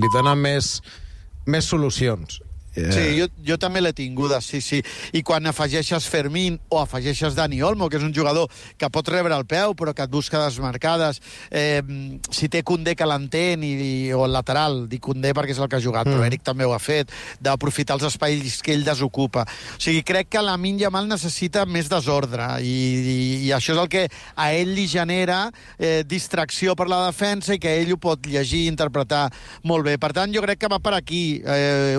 li dona més solucions. Sí, jo també l'he tinguda, sí. I quan afegeixes Fermín o afegeixes Dani Olmo, que és un jugador que pot rebre el peu, però que et busca desmarcades, si té Koundé que l'entén, o el lateral, dic Koundé perquè és el que ha jugat, però Eric també ho ha fet, d'aprofitar els espais que ell desocupa. O sigui, crec que Lamine Yamal necessita més desordre, i això és el que a ell li genera distracció per la defensa i que ell ho pot llegir i interpretar molt bé. Per tant, jo crec que va per aquí.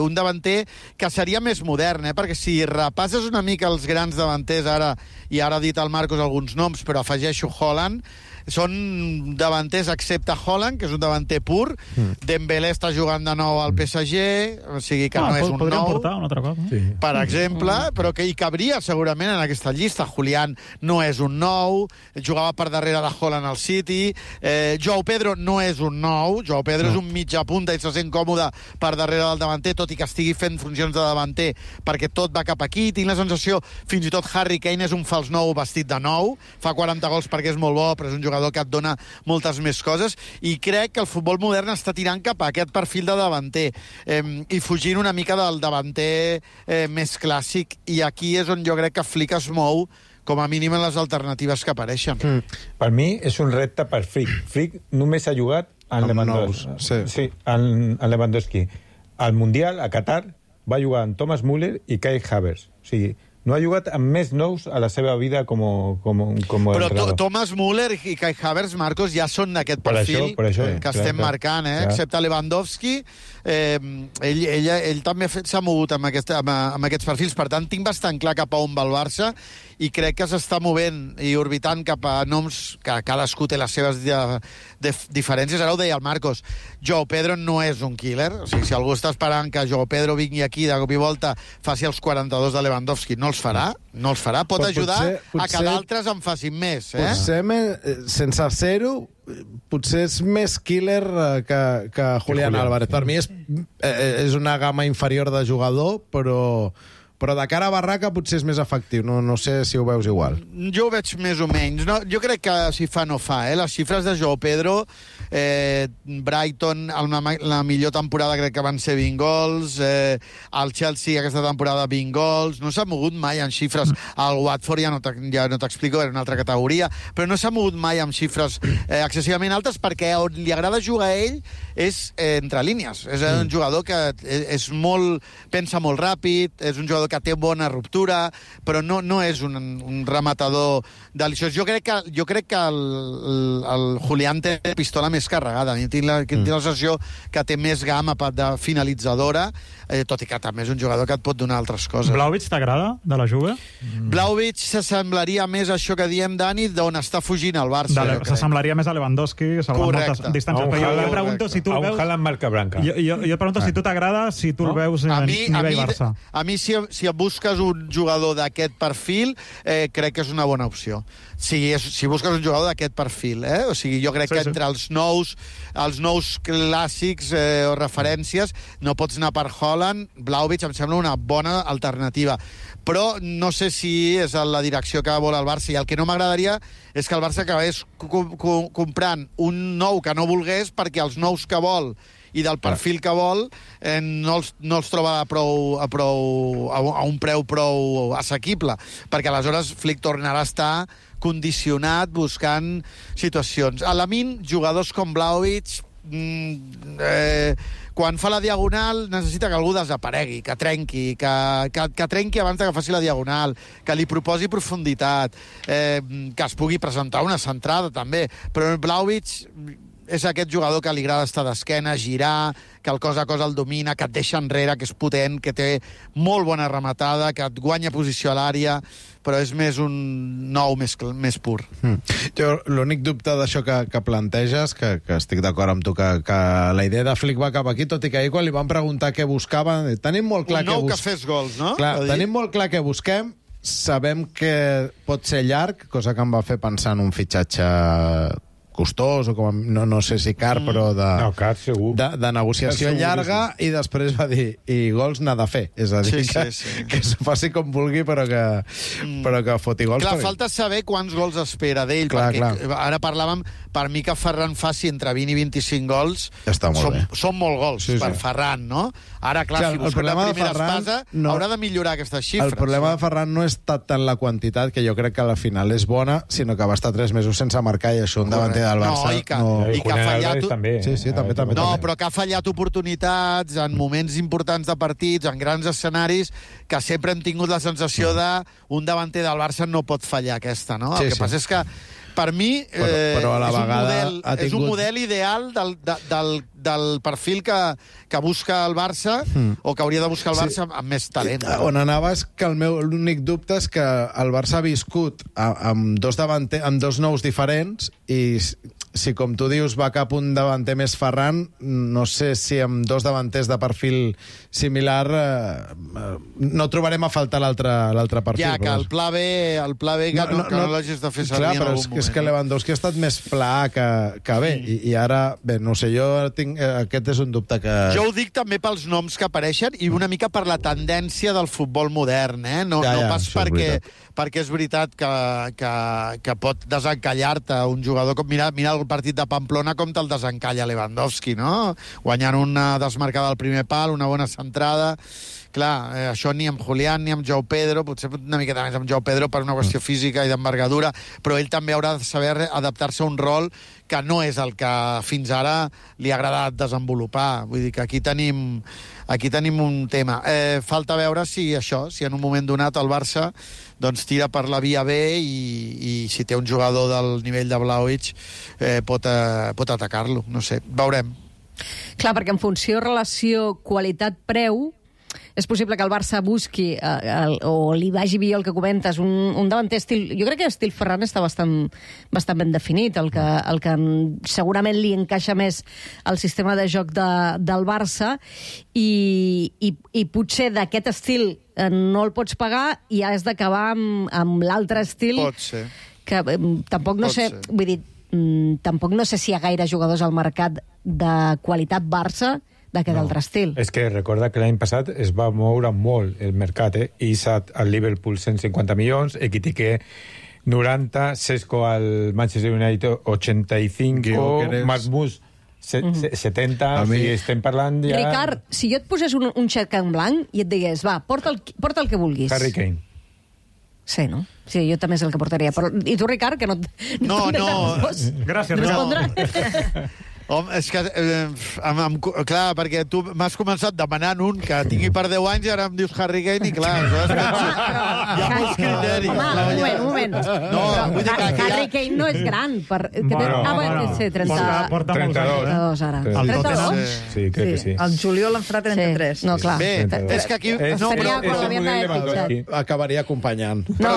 Un davanter que seria més modern, perquè si repasses una mica els grans davanters ara, i ara ha dit el Marcos alguns noms, però afegeixo Haaland, són davanters excepte Haaland, que és un davanter pur. Dembélé està jugant de nou al PSG, o sigui que no és un podríem nou, portar un altre cop, sí, per exemple, però que hi cabria segurament en aquesta llista. Julián no és un nou, jugava per darrere de Haaland al City. Joao Pedro no és un nou, Joao Pedro és un mitja punta i se sent còmode per darrere del davanter, tot i que estigui fent funcions de davanter, perquè tot va cap aquí. Tinc la sensació, fins i tot Harry Kane és un fals nou vestit de nou, fa 40 gols perquè és molt bo, però és un jugador que et dona moltes més coses, i crec que el futbol modern està tirant cap a aquest perfil de davanter, i fugint una mica del davanter més clàssic, i aquí és on jo crec que Flick es mou, com a mínim en les alternatives que apareixen. Per mi és un repte per Flick. Flick només ha jugat en Lewandowski. Sí, en Lewandowski. Al Mundial, a Qatar, va jugar amb Thomas Müller i Kai Havertz. O sigui, no ha jugat amb més nous a la seva vida com però Thomas Müller i Kai Havertz, Marcos, ja són d'aquest perfil per això, que estem marcant, excepte Lewandowski. Ell també s'ha mogut amb aquests perfils, per tant tinc bastant clar cap a on va el Barça, i crec que s'està movent i orbitant cap a noms que cadascú té les seves diferències. Ara ho deia el Marcos, Joao Pedro no és un killer, o sigui, si algú està esperant que Joao Pedro vingui aquí de cop i volta, faci els 42 de Lewandowski, no els farà, pot ajudar a que d'altres en facin més. Potser, sense ser-ho, potser és més killer que Julián Álvarez. Per mi és una gamma inferior de jugador, però de cara a barraca potser és més efectiu. No sé si ho veus igual. Jo ho veig més o menys. Jo crec que si fa no fa. Les xifres de Joao Pedro, Brighton, la millor temporada crec que van ser 20 gols, el Chelsea aquesta temporada 20 gols, no s'ha mogut mai en xifres. El Watford ja no t'explico, era una altra categoria, però no s'ha mogut mai amb xifres excessivament altes, perquè on li agrada jugar a ell és entre línies. És un jugador que pensa molt ràpid, és un jugador que té bona ruptura, però no és un rematador deliciós. Jo crec que el Julián té pistola més carregada. Tinc la sensació que té més gamma de finalitzadora, tot i que també és un jugador que et pot donar altres coses. Vlahovic t'agrada, de la Juve? Vlahovic s'assemblaria més a això que diem, Dani, d'on està fugint el Barça. S'assemblaria més a Lewandowski, salvant moltes distàncies. Però jo pregunto si tu el veus... A un Haaland marca branca. Jo pregunto si tu t'agrada, si tu el veus a nivell Barça. A mi, si busques un jugador d'aquest perfil, crec que és una bona opció. Si busques un jugador d'aquest perfil, o sigui, jo crec que entre els nous clàssics o referències no pots anar per Haaland. Vlahovic em sembla una bona alternativa, però no sé si és la direcció que vol el Barça, i el que no m'agradaria és que el Barça acabés comprant un nou que no volgués, perquè els nous que vol i del perfil que vol no els troba a un preu prou assequible, perquè aleshores Flick tornarà a estar condicionat buscant situacions. A Lamine, jugadors com Vlahovic, quan fa la diagonal necessita que algú desaparegui, que trenqui, que trenqui abans que faci la diagonal, que li proposi profunditat, que es pugui presentar una centrada també, però Vlahovic és aquest jugador que li agrada estar d'esquena, girar, que el cos a cos el domina, que et deixa enrere, que és potent, que té molt bona rematada, que et guanya posició a l'àrea, però és més un nou més pur. Jo l'únic dubte d'això que planteges, que estic d'acord amb tu, que la idea de Flick va cap aquí, tot i que ahir quan li van preguntar què buscava, tenim molt clar un nou que fes gols, no? Clar, tenim molt clar què busquem, sabem que pot ser llarg, cosa que em va fer pensar en un fitxatge costós, o no sé si car, però car, segur. De negociació llarga, i després va dir, i gols n'ha de fer. És a dir, que s'ho faci com vulgui, però que foti gols. Clar, falta saber quants gols espera d'ell, perquè ara parlàvem, per mi que Ferran faci entre 20 i 25 gols, són molt gols per Ferran, no? Ara, clar, si busca la primera espasa, haurà de millorar aquestes xifres. El problema de Ferran no és tant la quantitat, que jo crec que a la final és bona, sinó que va estar 3 mesos sense marcar, i això un davanter del Barça... I que ha fallat... també. Però que ha fallat oportunitats en moments importants de partits, en grans escenaris, que sempre hem tingut la sensació d'un davanter del Barça no pot fallar aquesta, no? El que passa és que, per mi, és un model ideal del perfil que busca el Barça, o que hauria de buscar el Barça amb més talent. On anava és que l'únic dubte és que el Barça ha viscut amb dos nous diferents, i si, com tu dius, va cap un davanter més Ferran, no sé si amb dos davanters de perfil similar no trobarem a faltar l'altre perfil. Ja, que el pla B que no l'hagis de fer servir en algun moment. És que Lewandowski ha estat més pla que bé, i ara, bé, no sé, jo tinc... Aquest és un dubte que... Jo ho dic també pels noms que apareixen i una mica per la tendència del futbol modern, no pas perquè és veritat que pot desencallar-te un jugador com... Mira el partit de Pamplona com te'l desencalla Lewandowski, no? Guanyant una desmarcada al primer pal, una bona centrada... Clar, això ni amb Julián ni amb Joao Pedro, potser una miqueta més amb Joao Pedro per una qüestió física i d'envergadura, però ell també haurà de saber adaptar-se a un rol que no és el que fins ara li ha agradat desenvolupar. Vull dir que aquí tenim un tema. Falta veure si en un moment donat el Barça tira per la via B i si té un jugador del nivell de Vlahovic pot atacar-lo. No sé, veurem. Clar, perquè en funció relació qualitat-preu és possible que el Barça busqui o li vagi bé el que comentes, un davanter estil... Jo crec que l'estil Ferran està bastant ben definit, el que segurament li encaixa més al sistema de joc del Barça, i potser d'aquest estil no el pots pagar i has d'acabar amb l'altre estil. Pot ser. Que tampoc no sé... Vull dir, tampoc no sé si hi ha gaire jugadors al mercat de qualitat Barça d'aquest altre estil. És que recorda que l'any passat es va moure molt el mercat, Isak al Liverpool 150 milions, Ekitike 90, Sesco al Manchester United 85, Marmús 70, i estem parlant ja... Ricard, si jo et posés un xec en blanc i et digués, va, porta el que vulguis. Harry Kane. Sí, no? Sí, jo també és el que portaria. Però, i tu, Ricard, que no... Gràcies, Ricard. Home, és que, clar, perquè tu m'has començat demanant un que tingui per 10 anys i ara em dius Harry Kane i clar, hi ha molts criteris. Home, un moment. No, vull dir que Harry Kane no és gran. Sí, 32 ara. El 32? Sí, crec que sí. El juliol en farà 33. No, clar. Bé, és que aquí... Acabaria acompanyant. No,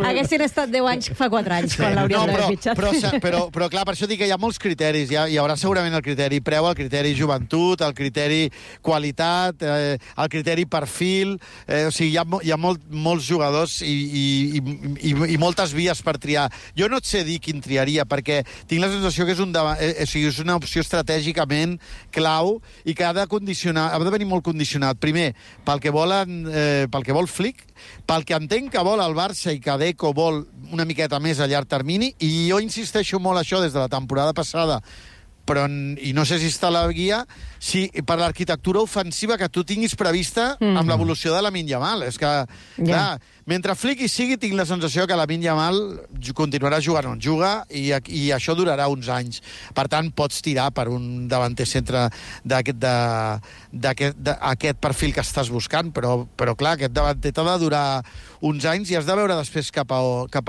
haguessin estat 10 anys fa 4 anys, quan l'haurien d'haver fitxat. Però clar, per això dic que hi ha molts criteris. Hi haurà segurament el criteri preu, el criteri joventut, el criteri qualitat, el criteri perfil... O sigui, hi ha molts jugadors i moltes vies per triar. Jo no et sé dir quin triaria, perquè tinc la sensació que és una opció estratègicament clau i que ha de venir molt condicionat. Primer, pel que vol Flick, pel que entenc que vol el Barça i que Deco vol una miqueta més a llarg termini, i jo insisteixo molt això des de la temporada passada, i no sé si està a la guia, si per l'arquitectura ofensiva que tu tinguis prevista amb l'evolució de Lamine Yamal. És que, clar, mentre Flick hi sigui, tinc la sensació que Lamine Yamal continuarà jugant on juga i això durarà uns anys. Per tant, pots tirar per un davanter centre d'aquest perfil que estàs buscant, però clar, aquest davanter t'ha de durar uns anys i has de veure després cap a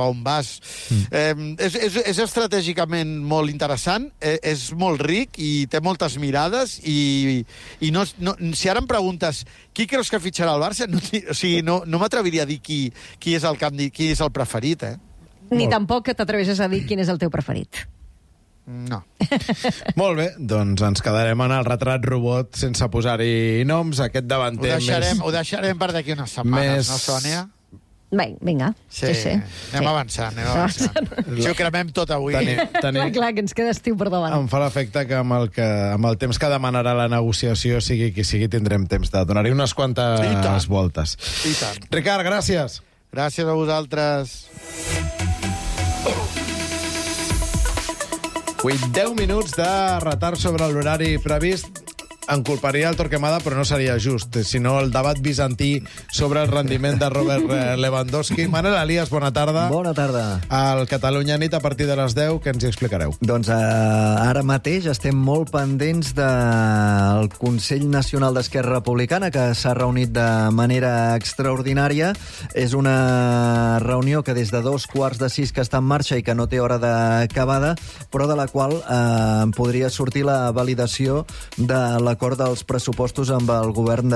on vas. És estratègicament molt interessant, és molt ric i té moltes mirades i si ara em preguntes qui creus que fitxarà el Barça, no m'atreviria a dir qui és el preferit, Ni tampoc que t'atreveixes a dir quin és el teu preferit. No. Molt bé, doncs ens quedarem en el retrat robot sense posar-hi noms. Aquest davanter ho deixarem per d'aquí unes setmanes, no, Sònia? Vinga. Sí. Anem avançant. Si ho cremem tot avui. Clar, que ens queda estiu per davant. Em fa l'efecte que amb el temps que demanarà la negociació, sigui qui sigui, tindrem temps de donar-hi unes quantes voltes. I tant. Ricard, gràcies. Gràcies a vosaltres. 10 minuts de retard sobre l'horari previst. En culparia el Torquemada, però no seria just, sinó el debat bizantí sobre el rendiment de Robert Lewandowski. Manel Elias, bona tarda. Bona tarda. Al Catalunya Nit, a partir de les 10, que ens hi explicareu? Doncs ara mateix estem molt pendents del Consell Nacional d'Esquerra Republicana, que s'ha reunit de manera extraordinària. És una reunió que des de 5:15 que està en marxa i que no té hora d'acabada, però de la qual podria sortir la validació de l'acord dels pressupostos amb el govern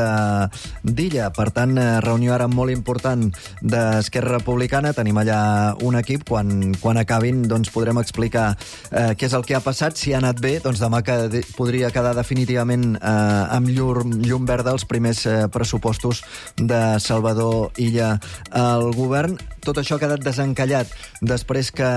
d'Illa. Per tant, reunió ara molt important d'Esquerra Republicana. Tenim allà un equip. Quan acabin, doncs podrem explicar què és el que ha passat. Si ha anat bé, doncs demà podria quedar definitivament amb llum verda els primers pressupostos de Salvador Illa al govern. Tot això ha quedat desencallat després que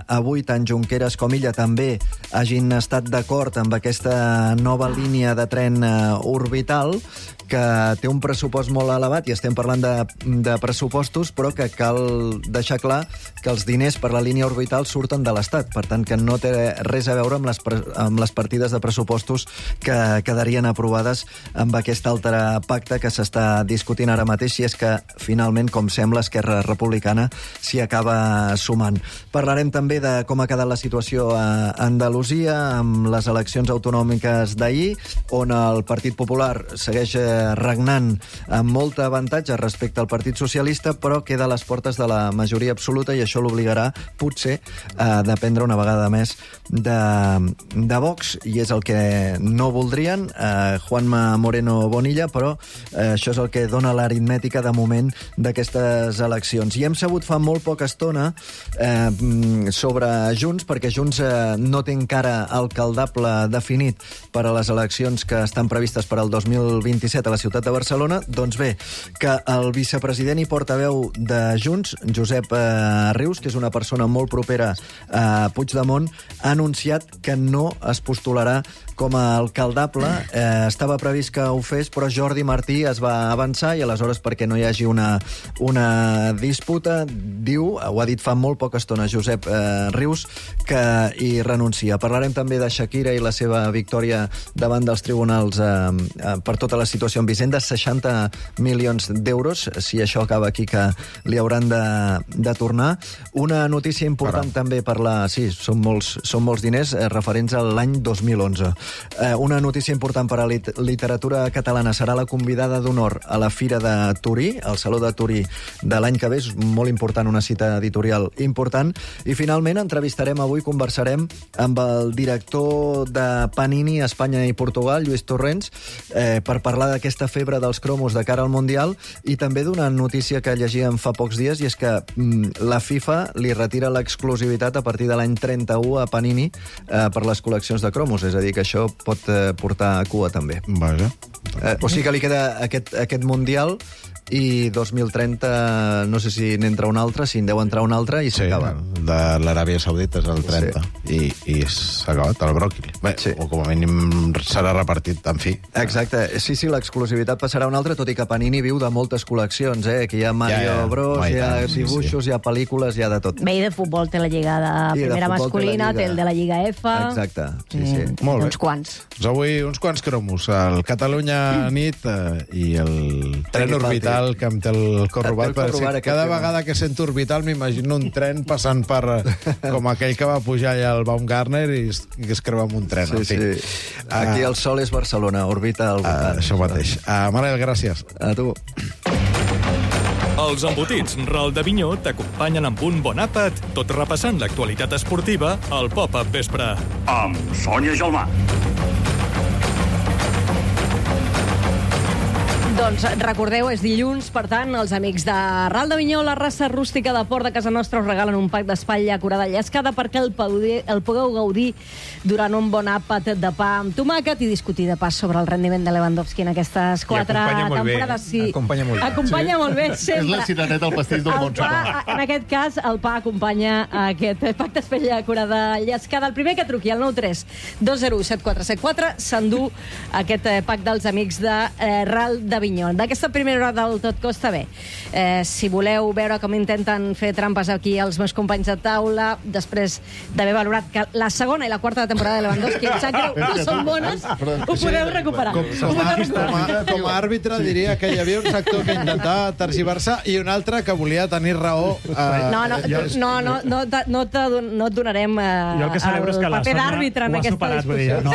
avui tant Junqueras com Illa també hagin estat d'acord amb aquesta nova línia de tren orbital, que té un pressupost molt elevat, i estem parlant de pressupostos, però que cal deixar clar que els diners per la línia orbital surten de l'Estat. Per tant, que no té res a veure amb les partides de pressupostos que quedarien aprovades amb aquest altre pacte que s'està discutint ara mateix, si és que finalment, com sembla, Esquerra Republicana s'hi acaba sumant. Parlarem també de com ha quedat la situació a Andalusia amb les eleccions autonòmiques d'ahir, on el Partit Popular segueix regnant amb molt avantatge respecte al Partit Socialista, però queda a les portes de la majoria absoluta, i això l'obligarà, potser, a dependre una vegada més de Vox, i és el que no voldrien Juanma Moreno Bonilla, però això és el que dona l'aritmètica de moment d'aquestes eleccions. I hem sabut fa molt poca estona sobre Junts, perquè Junts no té encara alcaldable definit per a les eleccions que estan previstes per al 2027 a la ciutat de Barcelona. Doncs bé, que el vicepresident i portaveu de Junts, Josep Rius, que és una persona molt propera a Puigdemont, ha anunciat que no es postularà com a alcaldable. Estava previst que ho fes, però Jordi Martí es va avançar, i aleshores, perquè no hi hagi una disputa, diu, ho ha dit fa molt poca estona Josep Rius, que hi renuncia. Parlarem també de Shakira i la seva victòria davant dels tribunals per tota la situació amb Hisenda, 60 milions d'euros, si això acaba aquí, que li hauran de tornar. Una notícia important també per la... Sí, són molts diners referents a l'any 2011. Una notícia important per a la literatura catalana: serà la convidada d'honor a la Fira de Turí, al Saló de Turí de l'any que ve. És molt important, una cita editorial important. I finalment conversarem amb el director de Panini a Espanya i Portugal, Lluís Torrents, per parlar d'aquesta febre dels cromos de cara al Mundial, i també d'una notícia que llegíem fa pocs dies, i és que la FIFA li retira l'exclusivitat a partir de l'any 31 a Panini per les col·leccions de cromos. És a dir, que això pot portar a cua també. Vaja. O sigui que li queda aquest Mundial, i 2030 no sé si n'entra un altre, si en deu entrar un altre, i s'acaba. De l'Aràbia Saudita és el 30, sí. I s'ha acabat el bròquil. Bé, sí. O com a mínim serà repartit, en fi. Exacte. Sí, l'exclusivitat passarà a un altre, tot i que Panini viu de moltes col·leccions, que hi ha Mario Bros, hi ha dibuixos, hi ha pel·lícules, hi ha de tot. Bé, i de futbol té la Lliga de primera masculina, té el de la Lliga F... Exacte, sí. Molt bé. Uns quants. Doncs avui uns quants cromos. El Catalunya Nit i el tren orbital que em té el cor robat. Cada vegada que sento orbital m'imagino un tren passant per... com aquell que va pujar allà al Baumgartner i que es creu amb un tren. Sí. Aquí el sol és Barcelona, orbita al voltant. Això mateix. Manel, gràcies. A tu. Els embotits Ral de Vinyó t'acompanyen amb un bon àpat, tot repassant l'actualitat esportiva al Pop-Up Vespre. Amb Sònia Gelmà. Doncs recordeu, és dilluns, per tant, els amics de Ral de Vinyó, la raça rústica de Port de casa nostra, us regalen un pack d'espatlla acurada llescada perquè el pugueu gaudir durant un bon àpat de pa amb tomàquet i discutir de pas sobre el rendiment de Lewandowski en aquestes 4 temporades. Sí, acompanya molt bé, sempre. És la ciraneta al pastís del Montserrat. En aquest cas, el pa acompanya aquest pack d'espatlla acurada llescada. El primer que truqui, al 93 201 7474, s'endú aquest pack dels amics de Ral de Vinyó. D'aquesta primera hora del Tot Costa bé. Si voleu veure com intenten fer trampes aquí els meus companys de taula, després d'haver valorat que la segona i la quarta temporada de Lewandowski em sap greu, no són bones, ho podeu recuperar. Com a àrbitre diria que hi havia un sector que intentava tergiversar i un altre que volia tenir raó. No et donarem el paper d'àrbitre en aquesta discussió. No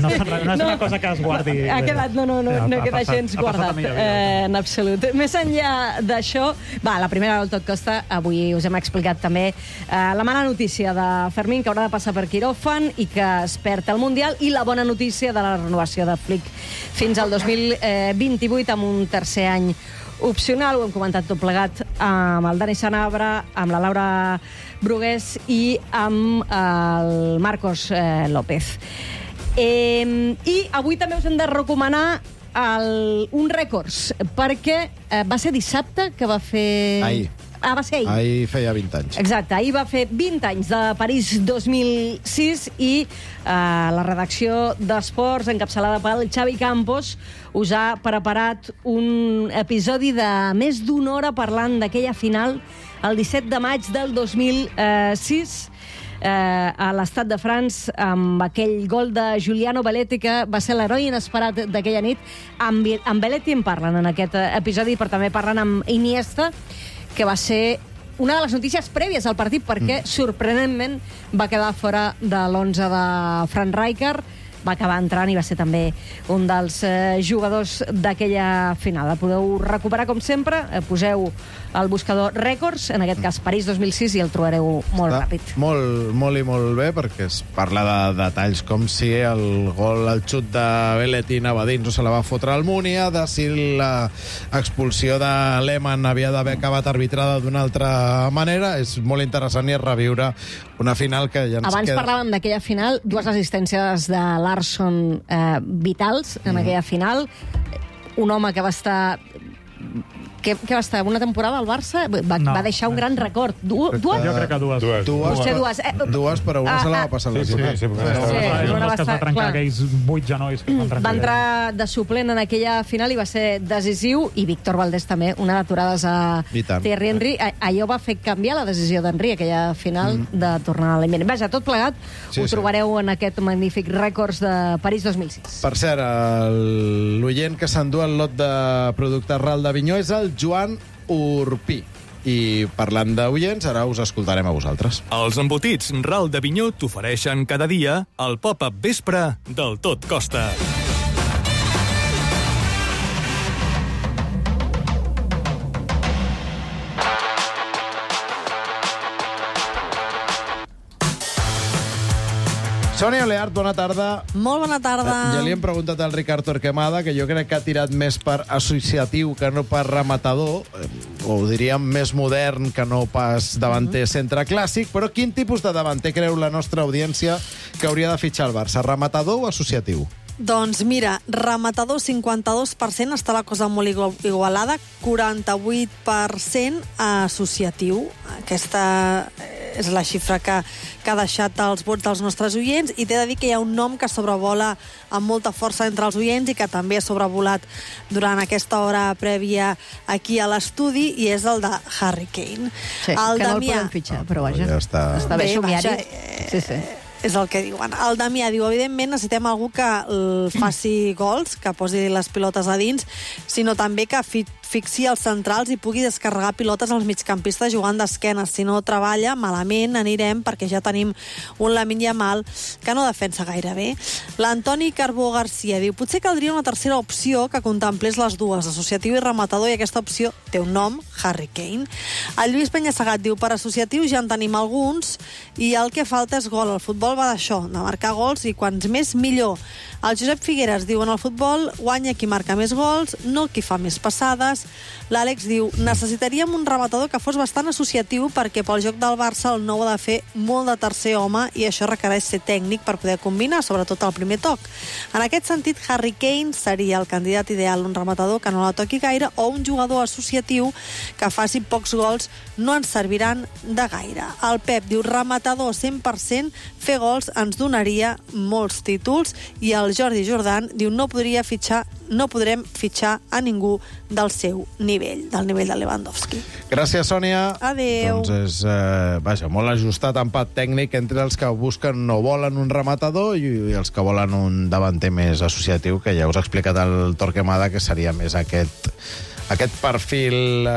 és una cosa que es guardi. Ha quedat, no queda gens guardat. En absolut. Més enllà d'això, la primera del Tot Costa, avui us hem explicat també la mala notícia de Fermín, que haurà de passar per quiròfan i que es perd el Mundial, i la bona notícia de la renovació de Flick fins al 2028 amb un tercer any opcional. Ho hem comentat tot plegat amb el Dani Sanabra, amb la Laura Brugués i amb el Marcos López. I avui també us hem de recomanar un rècords, perquè va ser dissabte que va fer... Ahir. Va ser ahir. Ahir feia 20 anys. Exacte, ahir va fer 20 anys de París 2006 i la redacció d'Esports, encapçalada pel Xavi Campos, us ha preparat un episodi de més d'una hora parlant d'aquella final el 17 de maig del 2006 a l'Estat de France, amb aquell gol de Giuliano Belletti, que va ser l'heroi inesperat d'aquella nit. Amb Belletti en parlen en aquest episodi, però també parlen amb Iniesta, que va ser una de les notícies prèvies al partit, perquè sorprenentment va quedar fora de l'11 de Frank Rijkaard, va acabar entrant i va ser també un dels jugadors d'aquella final. La podeu recuperar, com sempre, poseu al buscador rècords, en aquest cas París 2006, i el trobareu molt ràpid. Molt i molt bé, perquè es parla de detalls com si el gol, el xut de Belletti anava dins o se la va fotre al Múnia, de si l'expulsió de Lehmann havia d'haver acabat arbitrada d'una altra manera. És molt interessant i és reviure una final que ja ens Abans parlàvem d'aquella final, 2 assistències de Larsson vitals en aquella final. Un home que va estar... que va estar una temporada al Barça, va deixar un gran record. Dues? Jo crec que dues. Dues, però una se la va passar lesionat. Sí, es va trencar aquells 8 genolls que van trencar. Va entrar de suplent en aquella final i va ser decisiu, i Víctor Valdés també, una d'aturades a Thierry Henry. Allò va fer canviar la decisió d'Henry, aquella final, de tornar a l'eliminat. Vaja, tot plegat ho trobareu en aquest magnífic rècords de París 2006. Per cert, l'oient que s'endú el lot de productes Ral de Vinyó és el Joan Urpí. I parlant d'oients, ara us escoltarem a vosaltres. Els embotits Ral de Vinyó t'ofereixen cada dia el pop-up vespre del Tot Costa. Sònia Oleart, bona tarda. Molt bona tarda. Ja li hem preguntat al Ricard Torquemada, que jo crec que ha tirat més per associatiu que no per rematador, o diríem més modern que no pas davanter centre clàssic, però quin tipus de davanter creu la nostra audiència que hauria de fitxar el Barça? Rematador o associatiu? Doncs mira, rematador 52%, està la cosa molt igualada, 48% associatiu. Aquesta és la xifra que ha deixat els vots dels nostres oients, i t'he de dir que hi ha un nom que sobrevola amb molta força entre els oients i que també ha sobrevolat durant aquesta hora prèvia aquí a l'estudi, i és el de Harry Kane. Sí, el que no el podem fitxar, però vaja, ja està bé somiari. Sí. És el que diuen. El Damià diu, evidentment necessitem algú que faci gols, que posi les pilotes a dins, sinó també que asfixi els centrals i pugui descarregar pilotes als migcampistes jugant d'esquena. Si no treballa, malament anirem, perquè ja tenim un Lamine Yamal que no defensa gaire bé. L'Antoni Carbó Garcia diu: potser caldria una tercera opció que contemplés les dues, associatiu i rematador, i aquesta opció té un nom, Harry Kane. El Lluís Penyassegat diu: per associatius ja en tenim alguns i el que falta és gol. El futbol va d'això, de marcar gols, i quants més millor. El Josep Figueres diu: en el futbol guanya qui marca més gols, no qui fa més passades. L'Àlex diu: necessitaríem un rematador que fos bastant associatiu, perquè pel joc del Barça el nou ha de fer molt de tercer home i això requereix ser tècnic per poder combinar, sobretot al primer toc. En aquest sentit, Harry Kane seria el candidat ideal, un rematador que no la toqui gaire o un jugador associatiu que faci pocs gols no ens serviran de gaire. El Pep diu: rematador 100%, fer gols ens donaria molts títols. I el Jordi Jordan diu: no podrem fitxar a ningú del seu nivell, del nivell de Lewandowski. Gràcies, Sònia. Adéu. Doncs és molt ajustat empat tècnic entre els que busquen o volen un rematador i els que volen un davanter més associatiu, que ja us ha explicat el Torquemada, que seria més aquest perfil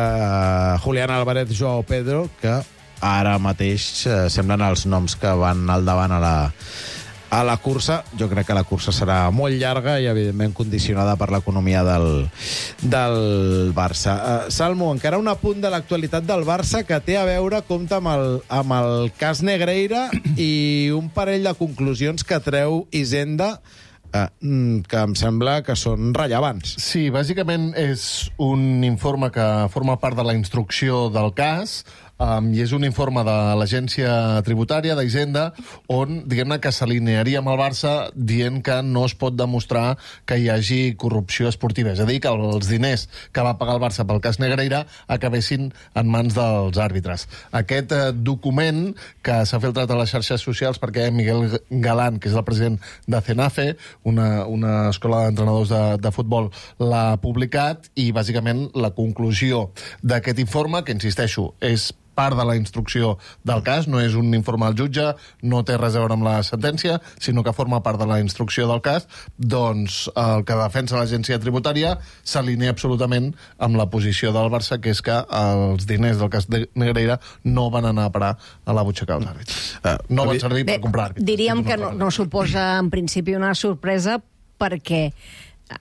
Julián Álvarez, Joao Pedro, que ara mateix semblen els noms que van al davant a la cursa. Jo crec que la cursa serà molt llarga i, evidentment, condicionada per l'economia del Barça. Salmo, encara un apunt de l'actualitat del Barça que té a veure, compta amb el cas Negreira i un parell de conclusions que treu Hisenda, que em sembla que són rellevants. Sí, bàsicament és un informe que forma part de la instrucció del cas, i és un informe de l'agència tributària d'Hisenda on, diguem-ne, que s'alinearia amb el Barça dient que no es pot demostrar que hi hagi corrupció esportiva. És a dir, que els diners que va pagar el Barça pel cas Negreira acabessin en mans dels àrbitres. Aquest document, que s'ha filtrat a les xarxes socials perquè Miguel Galán, que és el president de CENAFE, una escola d'entrenadors de futbol, l'ha publicat, i bàsicament la conclusió d'aquest informe, que insisteixo, és part de la instrucció del cas, no és un informe al jutge, no té res a veure amb la sentència, sinó que forma part de la instrucció del cas, doncs el que defensa l'agència tributària s'alinea absolutament amb la posició del Barça, que és que els diners del cas de Negreira no van anar a parar a la butxaca dels àrbitres. No van servir per comprar àrbitres. Diríem que no suposa en principi una sorpresa, perquè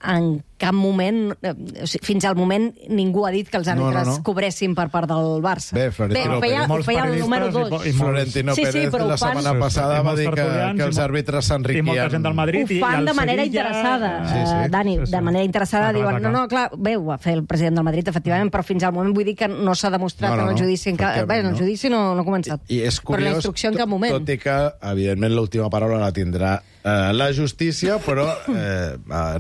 en cap moment, fins al moment, ningú ha dit que els àrbitres cobressin per part del Barça. Bé, Florentino Pérez. Ho feia el número 2. I Florentino Pérez la setmana passada va dir que els àrbitres s'enriquien. I molta gent del Madrid. Ho fan de manera interessada, Dani, de manera interessada. Diuen, clar, bé, ho va fer el president del Madrid, efectivament, però fins al moment vull dir que no s'ha demostrat en el judici. Bé, en el judici no ha començat. I és curiós, però la instrucció en cap moment. Tot i que, evidentment, l'última paraula la tindrà la justícia, però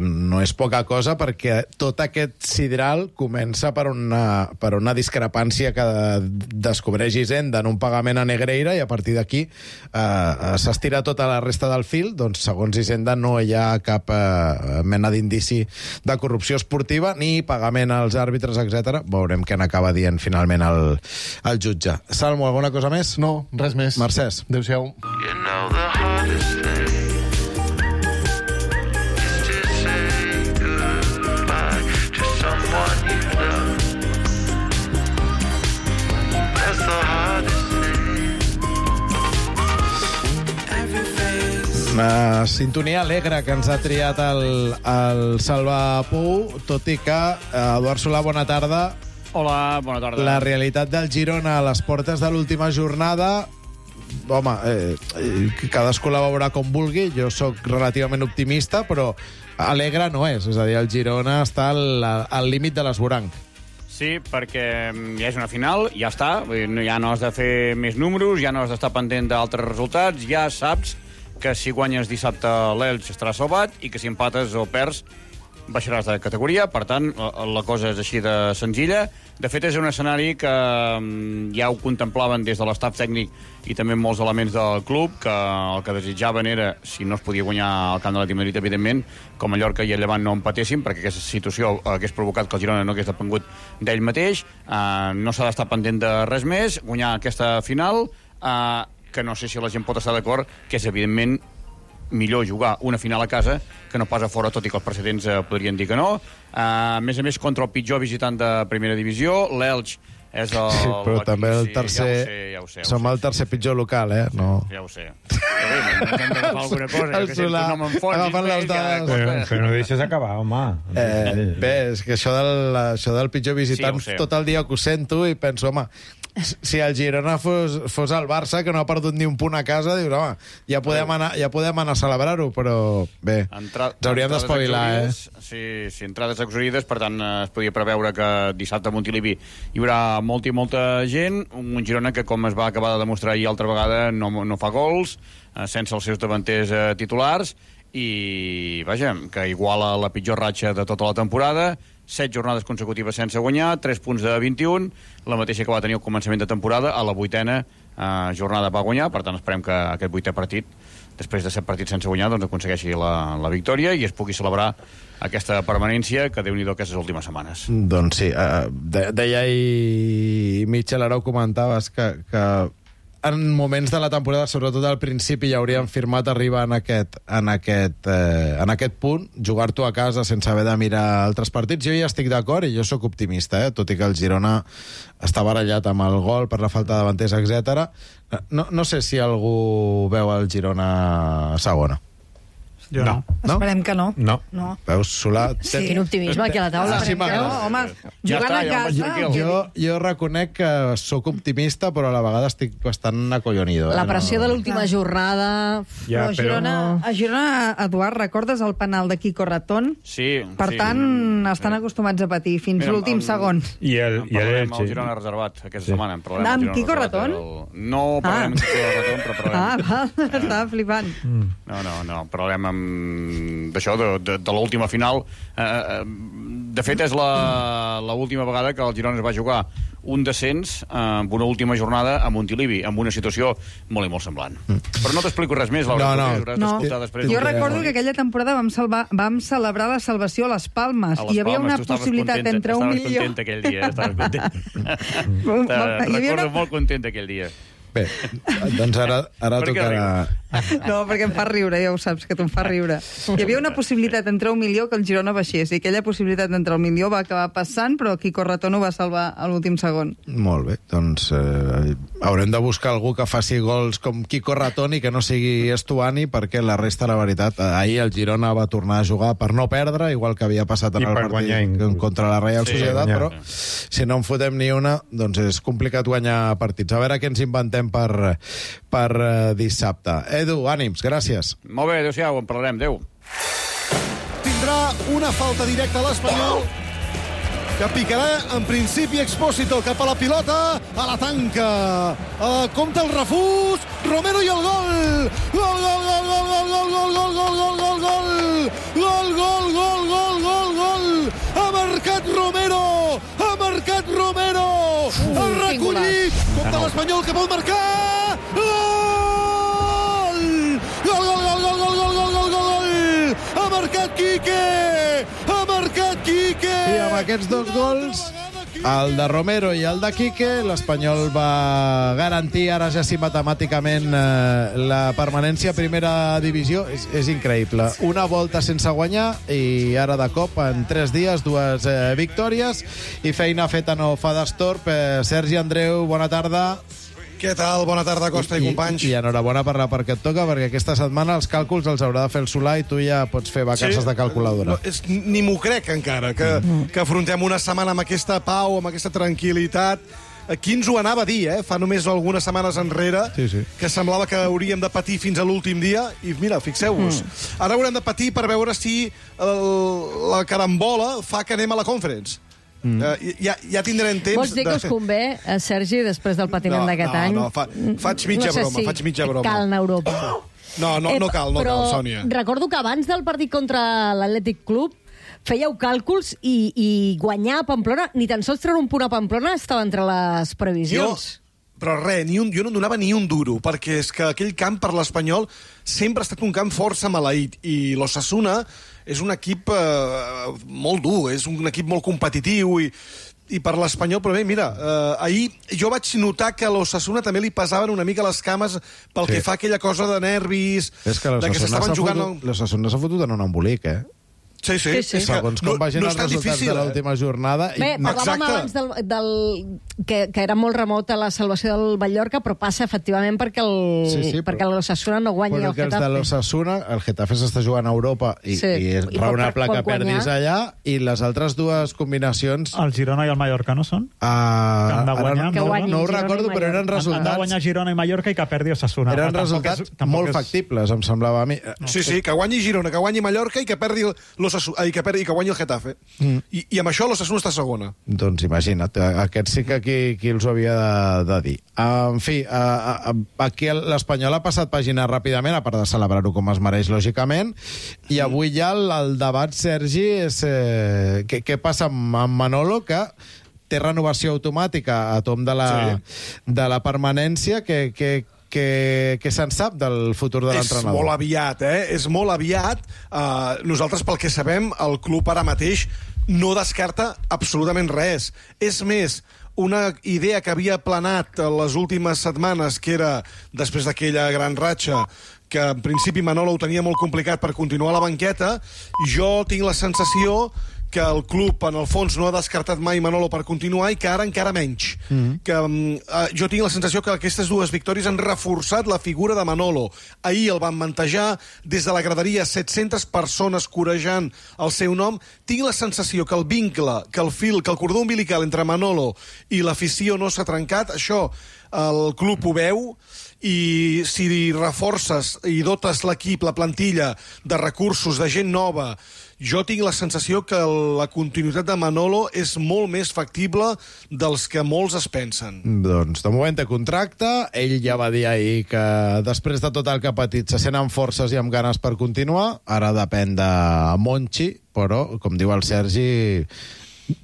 no és poca cosa, perquè tot aquest sidral comença per una discrepància que descobreix Hisenda en un pagament a Negreira, i a partir d'aquí s'estira tota la resta del fil. Doncs, segons Hisenda, no hi ha cap mena d'indici de corrupció esportiva ni pagament als àrbitres, etc. Veurem què n'acaba dient finalment el jutge. Salmo, alguna cosa més? No, res més. Mercès. Adéu-siau. Una sintonia alegre que ens ha triat el Salva Pou, tot i que, Eduard Solà, bona tarda. Hola, bona tarda. La realitat del Girona a les portes de l'última jornada, home, cadascú la veurà com vulgui. Jo sóc relativament optimista, però alegre no és. És a dir, el Girona està al límit de l'esvoranc. Sí, perquè ja és una final, ja està. Ja no has de fer més números, ja no has d'estar pendent d'altres resultats, ja saps que si guanyes dissabte l'Elx estaràs salvat i que si empates o perds baixaràs de categoria. Per tant, la cosa és així de senzilla. De fet, és un escenari que ja ho contemplaven des de l'estaf tècnic i també molts elements del club, que el que desitjaven era, si no es podia guanyar al camp de l'Atlètic Madrid, evidentment, com Mallorca i el Llevant no empatessin, perquè aquesta situació hagués provocat que el Girona no hagués depengut d'ell mateix. No s'ha d'estar pendent de res més, guanyar aquesta final, que no sé si la gent pot estar d'acord, que és evidentment millor jugar una final a casa que no pas a fora, tot i que els precedents podrien dir que no. A més, contra el pitjor visitant de primera divisió, l'Elx és el... Sí, però també el tercer... Ja ho sé. Som el tercer pitjor local, No. Ja ho sé. Però bé, hem d'agafar alguna cosa, que sempre no me'n fotis. Agafant les dades. Però no deixes acabar, home. Bé, és que això del pitjor visitant, tot el dia que ho sento i penso, home, si el Girona fos el Barça, que no ha perdut ni un punt a casa, dius, home, ja podem anar a celebrar-ho, però bé, ens hauríem d'espavilar, Sí, entrades exaurides, per tant, es podia preveure que dissabte a Montilivi hi haurà molta i molta gent, un Girona que, com es va acabar de demostrar ahir altra vegada, no fa gols, sense els seus davanters titulars, i, vaja, que iguala la pitjor ratxa de tota la temporada, 7 jornades consecutives sense guanyar, 3 punts de 21, la mateixa que va tenir al començament de temporada, a la 8ª jornada va guanyar, per tant esperem que aquest 8è partit, després de 7 partits sense guanyar, doncs aconsegueixi la victòria i es pugui celebrar aquesta permanència que Déu-n'hi-do aquestes últimes setmanes. Doncs sí, deia ahir Mitchell, ara ho comentaves, que en moments de la temporada, sobretot al principi, ja haurien firmat arribar en aquest punt, jugar-t'ho a casa sense haver de mirar altres partits. Jo ja estic d'acord i jo sóc optimista, tot i que el Girona està barallat amb el gol per la falta de davanters, etc. No sé si algú veu el Girona a segona. Jo no. Esperem que no. No. Veus, Solà... Sí, quin optimisme aquí a la taula. Home, jugant a casa... Jo reconec que sóc optimista, però a la vegada estic bastant acollonido. La pressió de l'última jornada... Ja, però a Girona, Eduard, recordes el penal de Quico Ratón? Sí. Per tant, estan acostumats a patir fins l'últim segon. I el Girona reservat aquesta setmana. Amb Quico Ratón? No parlem amb Quico Ratón, però parlem... Estava flipant. No, parlem d'això, de l'última final. De fet, és l'última vegada que el Girona es va jugar un descens amb una última jornada a Montilivi, amb una situació molt i molt semblant. Però no t'explico res més, Laura. No. Jo recordo que aquella temporada vam celebrar la salvació a les Palmes i hi havia una possibilitat entre 1 milió... Estaves content aquell dia, estaves content. Recordo molt content aquell dia. Bé, doncs ara tocarà... No, perquè em fa riure, ja ho saps, que tu em fa riure. Hi havia una possibilitat entre 1 milió que el Girona baixés, i aquella possibilitat entre el milió va acabar passant, però Quico Ratón ho va salvar a l'últim segon. Molt bé, doncs haurem de buscar algú que faci gols com Quico Ratón i que no sigui Estuani, perquè la resta, la veritat, ahir el Girona va tornar a jugar per no perdre, igual que havia passat en el partit contra la Real Societat, però si no en fotem ni una, doncs és complicat guanyar partits. A veure què ens inventem per dissabte. Edu, ànims, gràcies. Molt bé, adéu-siau, en parlarem, adéu. Tindrà una falta directa a l'Espanyol, que picarà en principi Expósito cap a la pilota, a la tanca. Compte el refús, Romero i el gol! Gol, gol, gol, gol, gol, gol, gol, gol, gol, gol, gol, gol! Gol, gol, gol, gol, gol, gol! Ha marcat Romero! Ha marcat Romero! Ha recollit! Compte l'Espanyol que pot marcar! Gol! Gol, gol, gol, gol, gol, gol, gol, gol, gol! Ha marcat Quique! Ha marcat Quique! I amb aquests dos gols, el de Romero i el de Quique, l'Espanyol va garantir ara ja sí matemàticament la permanència a primera divisió. És increïble. Una volta sense guanyar i ara de cop, en 3 dies, 2 victòries i feina feta no fa d'estorb. Sergi Andreu, bona tarda. Què tal? Bona tarda, Costa i companys. I enhorabona per la part que et toca, perquè aquesta setmana els càlculs els haurà de fer el Solà i tu ja pots fer vacances de calculadora. Ni m'ho crec encara, que afrontem una setmana amb aquesta pau, amb aquesta tranquil·litat. Qui ens ho anava a dir, fa només algunes setmanes enrere, que semblava que hauríem de patir fins a l'últim dia, i mira, fixeu-vos. Ara haurem de patir per veure si la carambola fa que anem a la Conference. Ja tindrem temps... Vols dir que us convé, Sergi, després del patiment d'aquest any? No, faig mitja broma, faig mitja broma. Cal anar a Europa. No cal, Sònia. Recordo que abans del partit contra l'Atlètic Club fèieu càlculs i guanyar a Pamplona, ni tan sols treure un punt a Pamplona estava entre les previsions. Però res, jo no donava ni un duro, perquè és que aquell camp per l'Espanyol sempre ha estat un camp força maleït, i l'Osasuna és un equip molt dur, és un equip molt competitiu, i i per l'Espanyol, però bé, mira, ahir jo vaig notar que a l'Osasuna també li pesaven una mica les cames pel que fa a aquella cosa de nervis, de que s'estaven jugant... L'Osasuna s'ha fotut en un embolic, Sí. Segons com vagin els resultats de l'última jornada... Bé, parlàvem abans que era molt remota la salvació del Mallorca, però passa efectivament perquè l'Osasuna no guanyi el Getafe. Perquè els de l'Osasuna, el Getafe s'està jugant a Europa i és raonable que perdis allà, i les altres dues combinacions... El Girona i el Mallorca no són? Que han de guanyar. No ho recordo, però eren resultats... Han de guanyar Girona i Mallorca i que perdi Osasuna. Eren resultats molt factibles, em semblava a mi. Sí, que guanyi Girona, que guanyi Mallorca i que perdi que guanyi el Getafe. I amb això l'Osasuna està segona. Doncs imagina't, aquest sí que qui els ho havia de dir. En fi, aquí l'Espanyol ha passat pàgina ràpidament, a part de celebrar-ho com es mereix, lògicament, i avui ja el debat, Sergi, és què passa amb Manolo, que té renovació automàtica a tom de la permanència, que se'n sap del futur de l'entrenador? És molt aviat, És molt aviat. Nosaltres, pel que sabem, el club ara mateix no descarta absolutament res. És més, una idea que havia planat les últimes setmanes, que era, després d'aquella gran ratxa, que en principi Manolo ho tenia molt complicat per continuar a la banqueta, jo tinc la sensació que el club, en el fons, no ha descartat mai Manolo per continuar i que ara encara menys. Jo tinc la sensació que aquestes dues victòries han reforçat la figura de Manolo. Ahir el van mantejar, des de la graderia, 700 persones corejant el seu nom. Tinc la sensació que el vincle, que el fil, que el cordó umbilical entre Manolo i l'afició no s'ha trencat. Això el club ho veu, i si reforces i dotes l'equip, la plantilla, de recursos, de gent nova, jo tinc la sensació que la continuïtat de Manolo és molt més factible dels que molts es pensen. Doncs de moment té contracte, ell ja va dir ahir que després de tot el que ha patit se sent amb forces i amb ganes per continuar, ara depèn de Monchi, però, com diu el Sergi,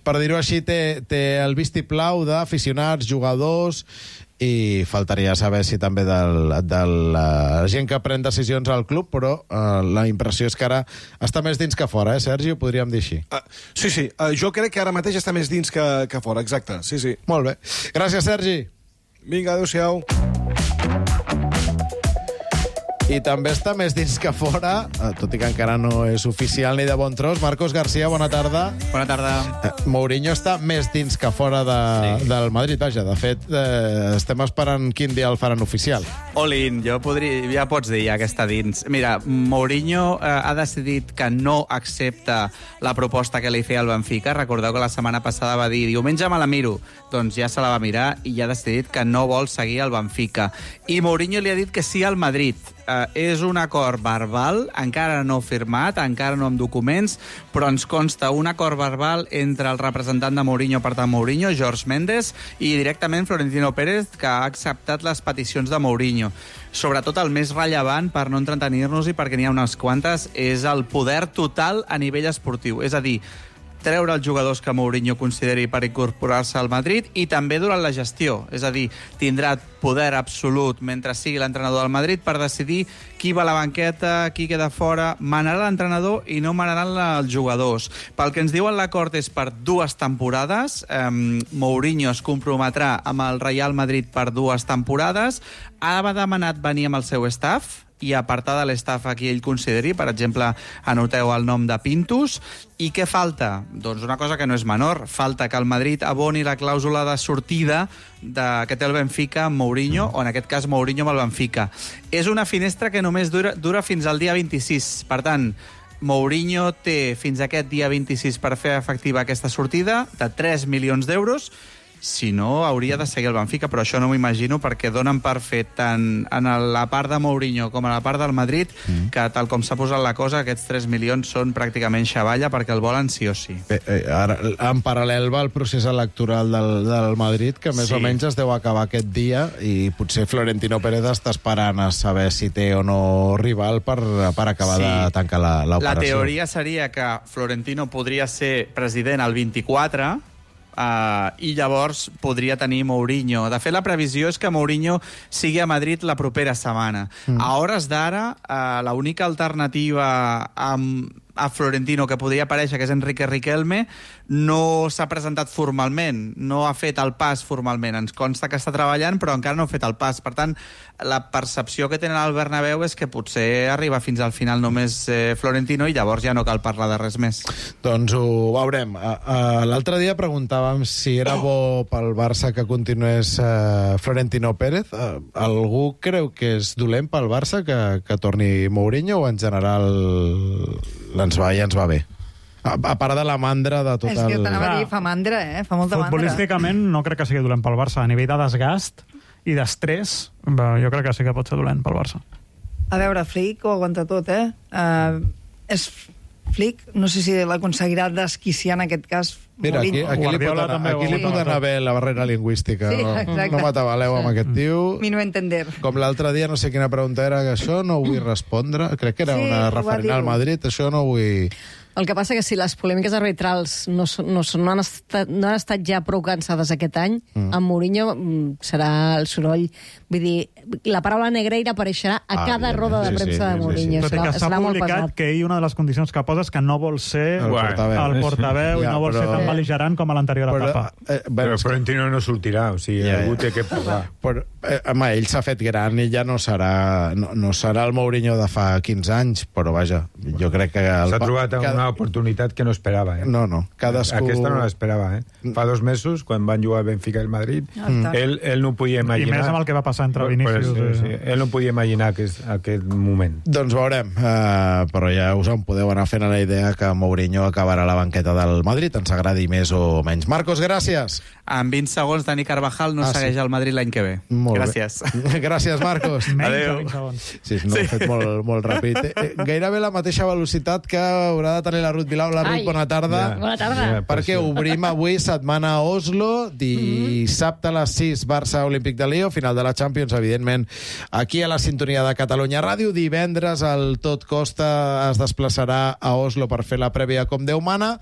per dir-ho així, té el vistiplau d'aficionats, jugadors, i faltaria saber si també de la gent que pren decisions al club, però la impressió és que ara està més dins que fora, Sergi? Ho podríem dir així. Sí, jo crec que ara mateix està més dins que fora, exacte, sí. Molt bé. Gràcies, Sergi. Vinga, adéu-siau. I també està més dins que fora, tot i que encara no és oficial ni de bon tros. Marcos García, bona tarda. Bona tarda. Mourinho està més dins que fora del Madrid, vaja. De fet, estem esperant quin dia el faran oficial. Olin, ja pots dir ja que està dins. Mira, Mourinho ha decidit que no accepta la proposta que li feia el Benfica. Recordeu que la setmana passada va dir diumenge me la miro. Doncs ja se la va mirar i ja ha decidit que no vol seguir el Benfica. I Mourinho li ha dit que sí al Madrid. És un acord verbal, encara no firmat, encara no amb documents, però ens consta un acord verbal entre el representant de Mourinho, per tant Mourinho, Jorge Mendes, i directament Florentino Pérez, que ha acceptat les peticions de Mourinho. Sobretot el més rellevant, per no entretenir-nos i perquè n'hi ha unes quantes, és el poder total a nivell esportiu. És a dir, treure els jugadors que Mourinho consideri per incorporar-se al Madrid i també durant la gestió. És a dir, tindrà poder absolut mentre sigui l'entrenador del Madrid per decidir qui va a la banqueta, qui queda fora. Manarà l'entrenador i no manaran els jugadors. Pel que ens diuen, l'acord és per 2 temporades. Mourinho es comprometrà amb el Real Madrid per 2 temporades. Ha demanat venir amb el seu staff i apartar de l'estaf a qui ell consideri. Per exemple, anoteu el nom de Pintus. I què falta? Doncs una cosa que no és menor. Falta que el Madrid aboni la clàusula de sortida que té el Benfica amb Mourinho, o en aquest cas Mourinho amb el Benfica. És una finestra que només dura fins al dia 26. Per tant, Mourinho té fins aquest dia 26 per fer efectiva aquesta sortida de 3 milions d'euros. Si no, hauria de seguir el Benfica, però això no m'ho imagino perquè donen per fet tant en la part de Mourinho com a la part del Madrid que, tal com s'ha posat la cosa, aquests 3 milions són pràcticament xavalla perquè el volen sí o sí. Ara, en paral·lel va el procés electoral del Madrid, que més o menys es deu acabar aquest dia, i potser Florentino Pérez està esperant a saber si té o no rival per acabar de tancar l'operació. La teoria seria que Florentino podria ser president el 24, i llavors podria tenir Mourinho. De fet, la previsió és que Mourinho sigui a Madrid la propera setmana. A hores d'ara, l'única alternativa amb a Florentino que podria aparèixer, que és Enrique Riquelme, no s'ha presentat formalment, no ha fet el pas formalment. Ens consta que està treballant, però encara no ha fet el pas. Per tant, la percepció que tenen al Bernabéu és que potser arriba fins al final només Florentino i llavors ja no cal parlar de res més. Doncs ho veurem. L'altre dia preguntàvem si era bo pel Barça que continués Florentino Pérez. Algú creu que és dolent pel Barça que torni Mourinho o en general ens va bé? A part de la mandra de tot el... És que t'anava a dir, fa mandra, fa molta mandra. Futbolísticament no crec que sigui dolent pel Barça. A nivell de desgast i d'estrès, jo crec que sí que pot ser dolent pel Barça. A veure, Flick ho aguanta tot, És Flick, no sé si l'aconseguirà desquiciar en aquest cas. Mira, aquí li pot anar bé la barrera lingüística. Sí, no m'atabaleu amb aquest tio. Mi no entender. Com l'altre dia, no sé quina pregunta era, que això no ho vull respondre. Crec que era una referent al Madrid, això no ho vull... El que passa que si les polèmiques arbitrals no han estat ja prou cansades aquest any, amb Mourinho serà el soroll. Vull dir, la paraula negreira apareixerà a cada roda de premsa de Mourinho. Tot i que s'ha publicat que ell una de les condicions que posa és que no vol ser el portaveu i no vol ser tan bel·ligerant com a l'anterior etapa. Però Florentino no sortirà, o sigui, algú té que parlar. Home, ell s'ha fet gran i ja no serà el Mourinho de fa 15 anys, però vaja, jo crec que... S'ha trobat una oportunitat que no esperava. No, cadascú... Aquesta no l'esperava. Fa 2 mesos, quan van jugar Benfica i el Madrid, ell no podia imaginar... I més amb el que va passar entre Vinícius. Ell no podia imaginar aquest moment. Doncs veurem, però ja us en podeu anar fent la idea que Mourinho acabarà a la banqueta del Madrid, ens agradi més o menys. Marcos, gràcies. En 20 segons, Dani Carvajal no segueix al Madrid l'any que ve. Gràcies. Gràcies, Marcos. Adéu. Sí, no, ho he fet molt ràpid. Gairebé la mateixa velocitat que haurà de tenir la Ruth Vilau. La Ruth, bona tarda. Bona tarda. Perquè obrim avui setmana a Oslo, dissabte a les 6, Barça Olímpic de Lió, final de la Champions, evidentment, aquí a la sintonia de Catalunya Ràdio. Divendres el Tot Costa es desplaçarà a Oslo per fer la prèvia com Déu mana.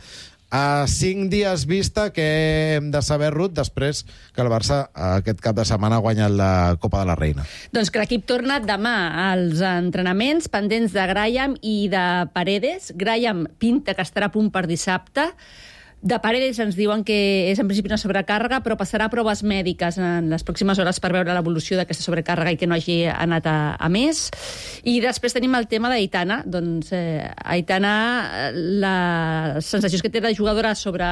A 5 dies vista, que hem de saber, Ruth, després que el Barça aquest cap de setmana ha guanyat la Copa de la Reina. Doncs que l'equip torna demà als entrenaments pendents de Graham i de Paredes. Graham pinta que estarà a punt per dissabte. De Paredes ens diuen que és en principi una sobrecàrrega, però passarà proves mèdiques en les pròximes hores per veure l'evolució d'aquesta sobrecàrrega i que no hagi anat a més. I després tenim el tema d'Aitana. Doncs Aitana, les sensacions que té la jugadora sobre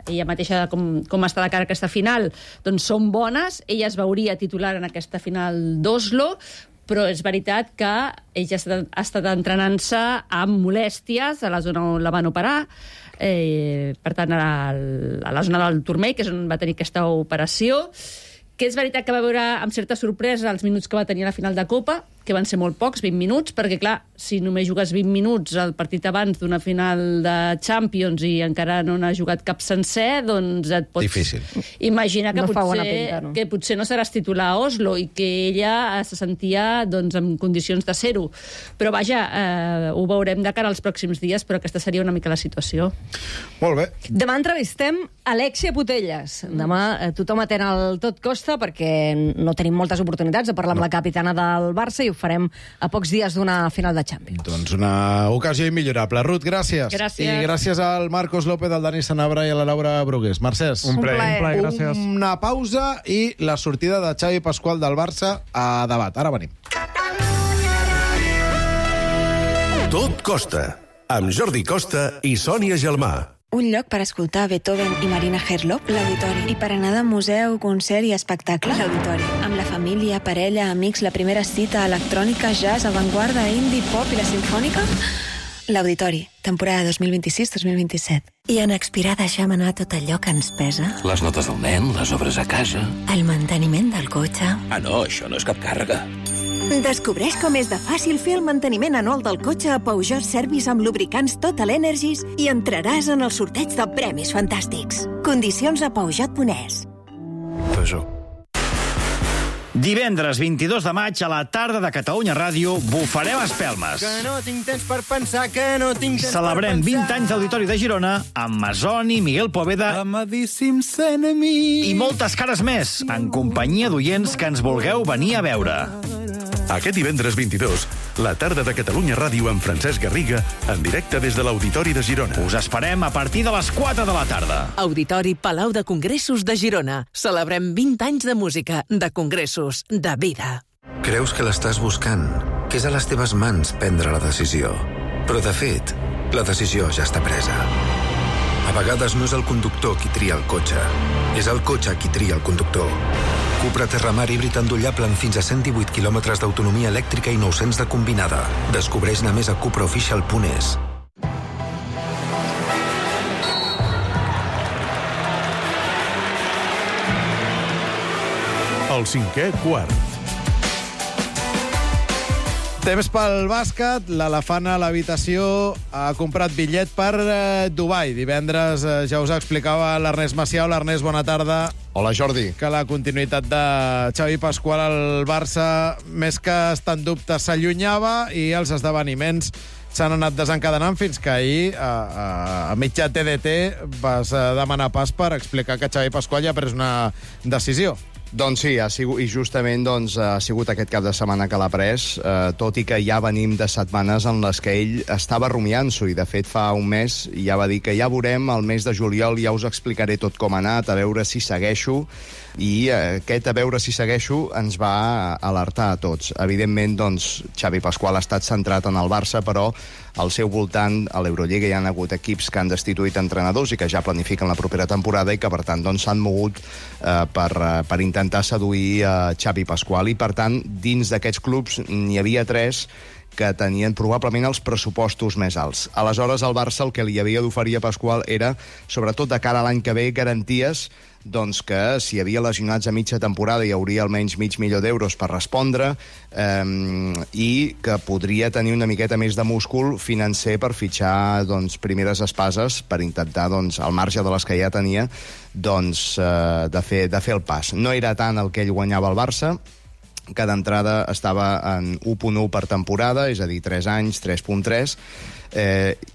ella mateixa, com està de cara a aquesta final, doncs són bones. Ella es veuria titular en aquesta final d'Oslo, però és veritat que ella ha estat entrenant-se amb molèsties a la zona on la van operar, per tant, a la zona del turmell, que és on va tenir aquesta operació, que és veritat que va veure amb certa sorpresa els minuts que va tenir a la final de Copa, que van ser molt pocs, 20 minuts, perquè, clar, si només jugues 20 minuts al partit abans d'una final de Champions i encara no n'ha jugat cap sencer, doncs et pots... Difícil. Imaginar que potser no seràs titular a Oslo i que ella se sentia doncs, en condicions de ser-ho. Però, vaja, ho veurem de cara als pròxims dies, però aquesta seria una mica la situació. Molt bé. Demà entrevistem Alexia Putellas. Demà tothom atén al Tot Costa perquè no tenim moltes oportunitats de parlar amb la capitana del Barça i ho farem a pocs dies d'una final de Champions. Doncs una ocasió immillorable. Ruth, gràcies. Gràcies. I gràcies al Marcos López, al Dani Sanabra i a la Laura Brugués. Mercès. Un plaer, gràcies. Una pausa i la sortida de Xavi Pasqual del Barça a debat. Ara venim. Tot Costa, amb Jordi Costa i Sònia Gelmà. Un lloc per escoltar Beethoven i Marina Herlop, l'Auditori. I per anar de museu, concert i espectacle, l'Auditori. Amb la família, parella, amics, la primera cita, electrònica, jazz, avantguarda, indie, pop i la simfònica... L'Auditori, temporada 2026-2027. I en Expirar deixem anar tot allò que ens pesa. Les notes del nen, les obres a casa... El manteniment del cotxe... Ah, no, això no és cap càrrega. Descobreix com és de fàcil fer el manteniment anual del cotxe a Peugeot Service amb lubricants Total Energies i entraràs en el sorteig de premis fantàstics. Condicions a Peugeot.es. Peugeot. Divendres 22 de maig a la tarda de Catalunya Ràdio bufarem espelmes. Que no tinc temps per pensar, que no tinc temps Celebrem per pensar. 20 anys d'Auditori de Girona amb Masoni, Miguel Poveda Amadíssims enemies. i moltes cares més, en companyia d'oients que ens vulgueu venir a veure. Aquest divendres 22 La tarda de Catalunya Ràdio amb Francesc Garriga, en directe des de l'Auditori de Girona. Us esperem a partir de les 4 de la tarda. Auditori Palau de Congressos de Girona. Celebrem 20 anys de música, de congressos, de vida. Creus que l'estàs buscant, que és a les teves mans prendre la decisió. Però, de fet, la decisió ja està presa. A vegades no és el conductor qui tria el cotxe, és el cotxe qui tria el conductor. Cupra Terramar híbrid endollable amb fins a 118 quilòmetres d'autonomia elèctrica i 900 de combinada. Descobreix-ne més a cupraofficial.es. El 5è quart. Temps pel bàsquet, l'elefant a l'habitació ha comprat bitllet per Dubai. Divendres ja us explicava l'Ernest Macià. L'Ernest, bona tarda. Hola, Jordi. Que la continuïtat de Xavi Pasqual al Barça, més que estar en dubte, s'allunyava i els esdeveniments s'han anat desencadenant fins que ahir, a mitjà TDT, vas demanar pas per explicar que Xavi Pasqual ja ha pres una decisió. Doncs sí, i justament ha sigut aquest cap de setmana que l'ha pres, tot i que ja venim de setmanes en les que ell estava rumiant-s'ho, i de fet fa un mes ja va dir que ja veurem, el mes de juliol ja us explicaré tot com ha anat, a veure si segueixo, i aquest a veure si segueixo ens va alertar a tots. Evidentment, Xavi Pasqual ha estat centrat en el Barça, però al seu voltant, a l'Eurolliga, hi ha hagut equips que han destituït entrenadors i que ja planifiquen la propera temporada i que, per tant, s'han mogut per intentar seduir Xavi Pasqual. I, per tant, dins d'aquests clubs n'hi havia 3 que tenien probablement els pressupostos més alts. Aleshores, el Barça el que li havia d'oferir a Pasqual era, sobretot de cara a l'any que ve, garanties que si hi havia lesionats a mitja temporada hi hauria almenys $500,000 per respondre, i que podria tenir una miqueta més de múscul financer per fitxar primeres espases per intentar, al marge de les que ja tenia, de fer el pas. No era tant el que ell guanyava al Barça, que d'entrada estava en 1.1 per temporada, és a dir, 3 anys, 3.3,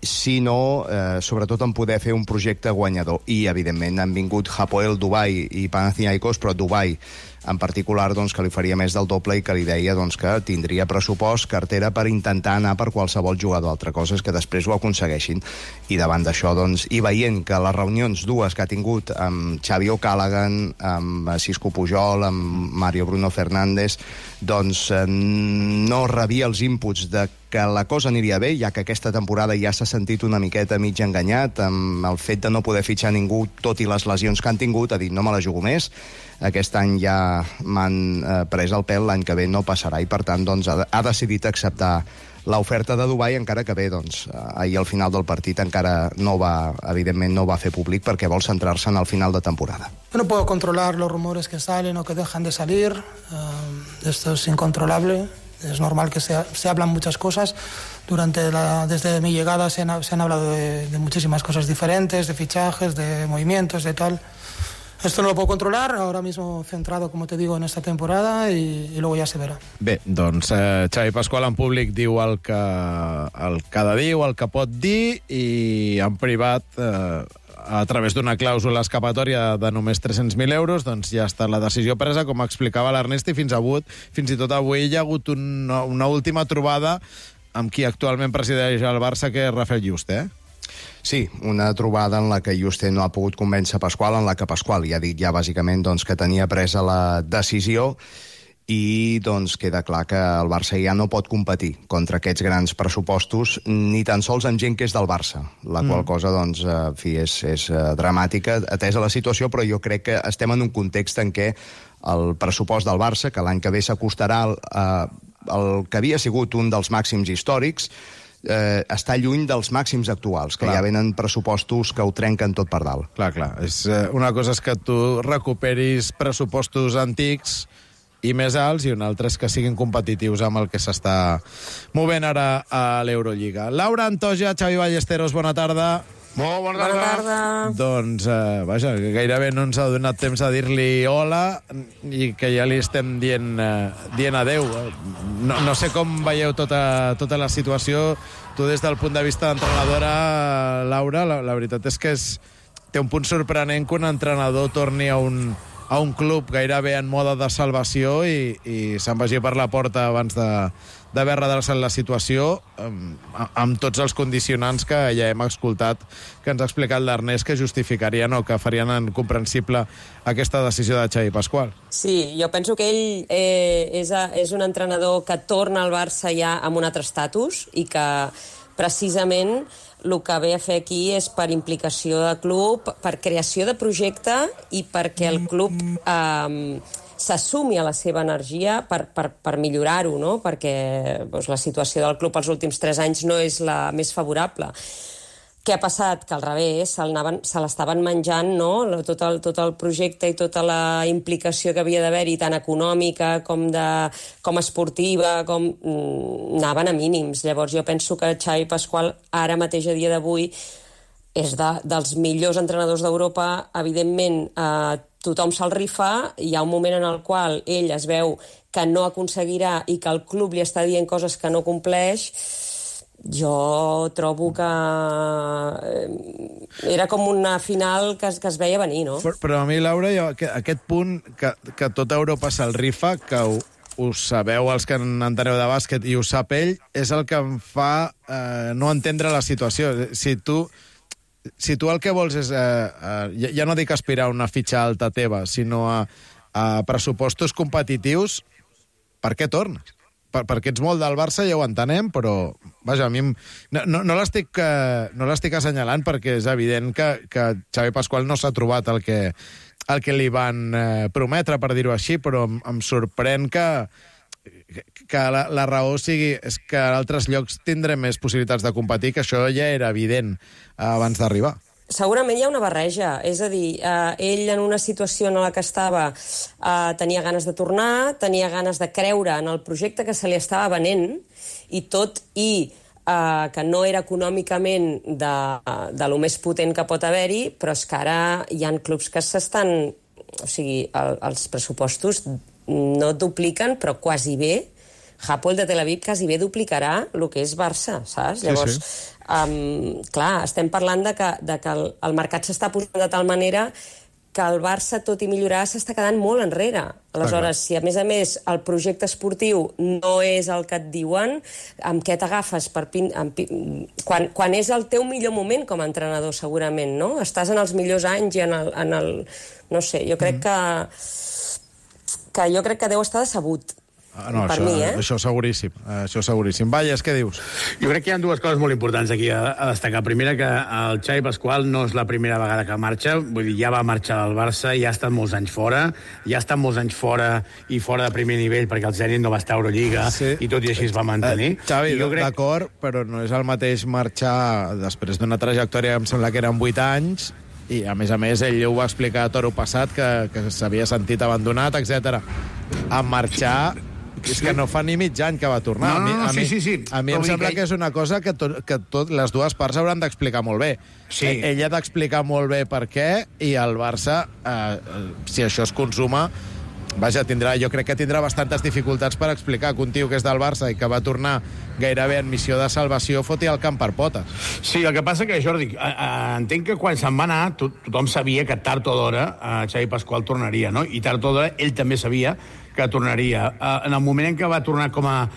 sinó sobretot en poder fer un projecte guanyador. I, evidentment, han vingut Hapoel, Dubai i Panathinaikos, però Dubai en particular, que li faria més del doble i que li deia que tindria pressupost, cartera, per intentar anar per qualsevol jugador. Altra cosa és que després ho aconsegueixin. I davant d'això, i veient que les reunions dues que ha tingut amb Xavi O'Callaghan, amb Xisco Pujol, amb Mario Bruno Fernández, no rebia els inputs de que la cosa aniria bé, ja que aquesta temporada ja s'ha sentit una miqueta mig enganyat amb el fet de no poder fitxar ningú, tot i les lesions que han tingut. Ha dit, no me la jugo més, aquest any ja m'han pres el pèl, l'any que ve no passarà, i per tant ha decidit acceptar l'oferta de Dubai, encara que bé, ahir al final del partit encara evidentment no va fer públic perquè vol centrar-se en el final de temporada. Yo no puedo controlar los rumores que salen o que dejan de salir, esto es incontrolable. Es normal que se hablan muchas cosas. Desde mi llegada se han hablado de muchísimas cosas diferentes, de fichajes, de movimientos, de tal. Esto no lo puedo controlar, ahora mismo centrado, como te digo, en esta temporada y luego ya se verá. Bé, Xavi Pasqual en públic diu el que ha de dir, el que pot dir, i en privat, a través d'una clàusula escapatòria de només 300.000 euros, ja està la decisió presa, com explicava l'Ernest, i fins i tot avui hi ha hagut una última trobada amb qui actualment presideix el Barça, que és Rafael Juste, Sí, una trobada en la que Juste no ha pogut convèncer Pasqual, en la que Pasqual ja ha dit bàsicament que tenia presa la decisió, i queda clar que el Barça ja no pot competir contra aquests grans pressupostos, ni tan sols amb gent que és del Barça, la qual cosa és dramàtica atesa la situació, però jo crec que estem en un context en què el pressupost del Barça, que l'any que ve s'acostarà al que havia sigut un dels màxims històrics, està lluny dels màxims actuals, que ja venen pressupostos que ho trenquen tot per dalt. Clar. Una cosa és que tu recuperis pressupostos antics i més alts, i una altra és que siguin competitius amb el que s'està movent ara a l'Eurolliga. Laura Antoja, Xavi Ballesteros, bona tarda. Molt bona tarda. Vaja, gairebé no ens ha donat temps a dir-li hola i que ja li estem dient adeu. No sé com veieu tota la situació. Tu, des del punt de vista d'entrenadora, Laura, la veritat és que té un punt sorprenent que un entrenador torni a un a un club gairebé en mode de salvació i se'n vagi per la porta abans d'haver redreçat la situació amb tots els condicionants que ja hem escoltat, que ens ha explicat l'Ernest, que justificarien o que farien incomprensible aquesta decisió de Xavi Pasqual. Sí, jo penso que ell és un entrenador que torna al Barça ja amb un altre estatus i que precisament el que ve a fer aquí és per implicació de club, per creació de projecte i perquè el club s'assumi a la seva energia per millorar-ho, no? Perquè la situació del club els últims 3 anys no és la més favorable. Què ha passat? Que al revés, se l'estaven menjant, no? Tot el projecte i tota la implicació que havia d'haver-hi, tant econòmica com esportiva, anaven a mínims. Llavors jo penso que Xavi Pasqual, ara mateix a dia d'avui, és dels millors entrenadors d'Europa. Evidentment, tothom se'l rifa, hi ha un moment en el qual ell es veu que no aconseguirà i que el club li està dient coses que no compleix. Jo trobo que era com una final que es veia venir, no? Però a mi, Laura, aquest punt que tota Europa se'l rifa, que ho sabeu els que enteneu de bàsquet i ho sap ell, és el que em fa no entendre la situació. Si tu el que vols és, ja no dic aspirar a una fitxa alta teva, sinó a pressupostos competitius, per què tornes? Perquè ets molt del Barça, ja ho entenem, però vaja, a mi no l'estic assenyalant perquè és evident que Xavi Pasqual no s'ha trobat el que li van prometre, per dir-ho així, però em sorprèn que la raó sigui és que a altres llocs tindrem més possibilitats de competir, que això ja era evident abans d'arribar. Segurament hi ha una barreja, és a dir, ell en una situació en la que estava tenia ganes de tornar, tenia ganes de creure en el projecte que se li estava venent, i tot i que no era econòmicament de lo més potent que pot haver-hi, però és que ara hi ha clubs que s'estan... O sigui, els pressupostos no dupliquen, però quasi bé. Hapoel de Tel Aviv quasi bé duplicarà el que és Barça, saps? Llavors, clar, estem parlant de que el mercat s'està posant de tal manera que el Barça, tot i millorar, s'està quedant molt enrere. Aleshores, si a més el projecte esportiu no és el que et diuen, amb què t'agafes? Quan és el teu millor moment com a entrenador, segurament, no? Estàs en els millors anys i en el... No sé, jo crec que deu estar decebut. No, per mi, això seguríssim. Això seguríssim. Valles, què dius? Jo crec que hi ha dues coses molt importants aquí a destacar. Primera, que el Xavi Pasqual no és la primera vegada que marxa, vull dir, ja va marxar del Barça, ja ha estat molts anys fora, i fora de primer nivell, perquè el Zenit no va estar a Eurolliga, i tot i així es va mantenir. Xavi, d'acord, però no és el mateix marxar després d'una trajectòria, em sembla que eren 8 anys, i a més, ell ho va explicar a Toro passat, que s'havia sentit abandonat, etc. A marxar... És que no fa ni mig any que va tornar. Sí. A mi em sembla que és una cosa que les dues parts hauran d'explicar molt bé. Sí. Ell ha d'explicar molt bé per què, i el Barça, si això es consuma, vaja, jo crec que tindrà bastantes dificultats per explicar que un tio que és del Barça i que va tornar gairebé en missió de salvació foti el camp per potes. Sí, el que passa que, Jordi, entenc que quan se'n va anar tothom sabia que tard o d'hora Xavi Pasqual tornaria, no? I tard o d'hora ell també sabia que tornaria. En el moment en què va tornar com a,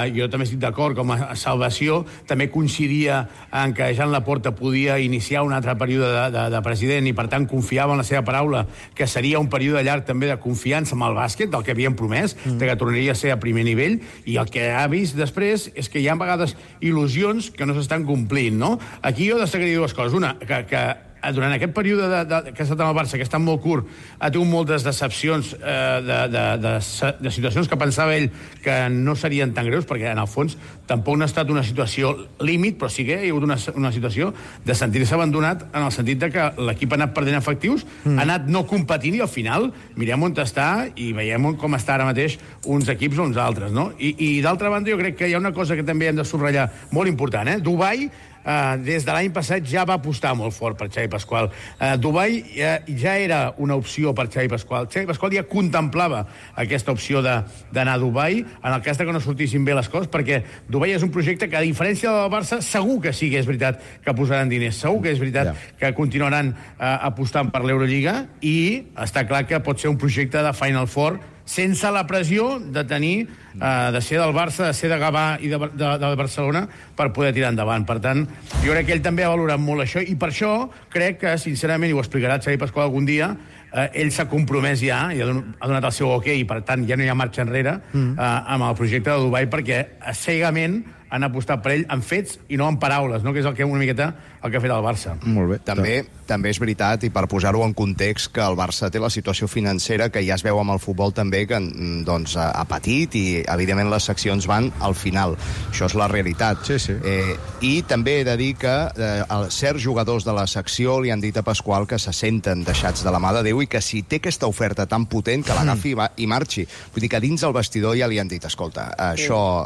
jo també estic d'acord, com a salvació, també coincidia en que Jean Laporta podia iniciar un altre període de president i, per tant, confiava en la seva paraula, que seria un període llarg també de confiança amb el bàsquet, del que havien promès, de que tornaria a ser a primer nivell, i el que ha vist després és que hi ha a vegades il·lusions que no s'estan complint, no? Aquí jo destacaria dues coses. Una, que durant aquest període que ha estat en el Barça, que ha estat molt curt, ha tingut moltes decepcions de situacions que pensava ell que no serien tan greus, perquè en el fons tampoc no ha estat una situació límit, però sí que hi ha hagut una situació de sentir-se abandonat, en el sentit de que l'equip ha anat perdent efectius, ha anat no competint, i al final mirem on està i veiem com està ara mateix uns equips o uns altres, no? I d'altra banda, jo crec que hi ha una cosa que també hem de subratllar molt important, Dubai des de l'any passat ja va apostar molt fort per Xavi Pasqual. Dubai ja era una opció per Xavi Pasqual. Xavi Pasqual ja contemplava aquesta opció d'anar a Dubai en el cas que no sortissin bé les coses, perquè Dubai és un projecte que, a diferència del Barça, segur que sí que és veritat que posaran diners, segur que és veritat que continuaran apostant per l'Eurolliga, i està clar que pot ser un projecte de Final Four sense la pressió de tenir, de ser del Barça, de ser de Gavà i de Barcelona per poder tirar endavant. Per tant, jo crec que ell també ha valorat molt això, i per això crec que, sincerament, i ho explicarà Xavi Pasqual algun dia, ell s'ha compromès ja, i ha donat el seu ok, i per tant ja no hi ha marxa enrere amb el projecte de Dubai, perquè cegament han apostat per ell en fets i no en paraules, no? Que és el que una miqueta el que ha fet el Barça. Molt bé. També és veritat, i per posar-ho en context, que el Barça té la situació financera que ja es veu amb el futbol també, que doncs, ha patit, i evidentment les seccions van al final. Això és la realitat. Sí, sí. I també he de dir que certs jugadors de la secció li han dit a Pasqual que se senten deixats de la mà de Déu, i que si té aquesta oferta tan potent, que l'agafi i marxi. Vull dir que dins el vestidor ja li han dit, escolta, això...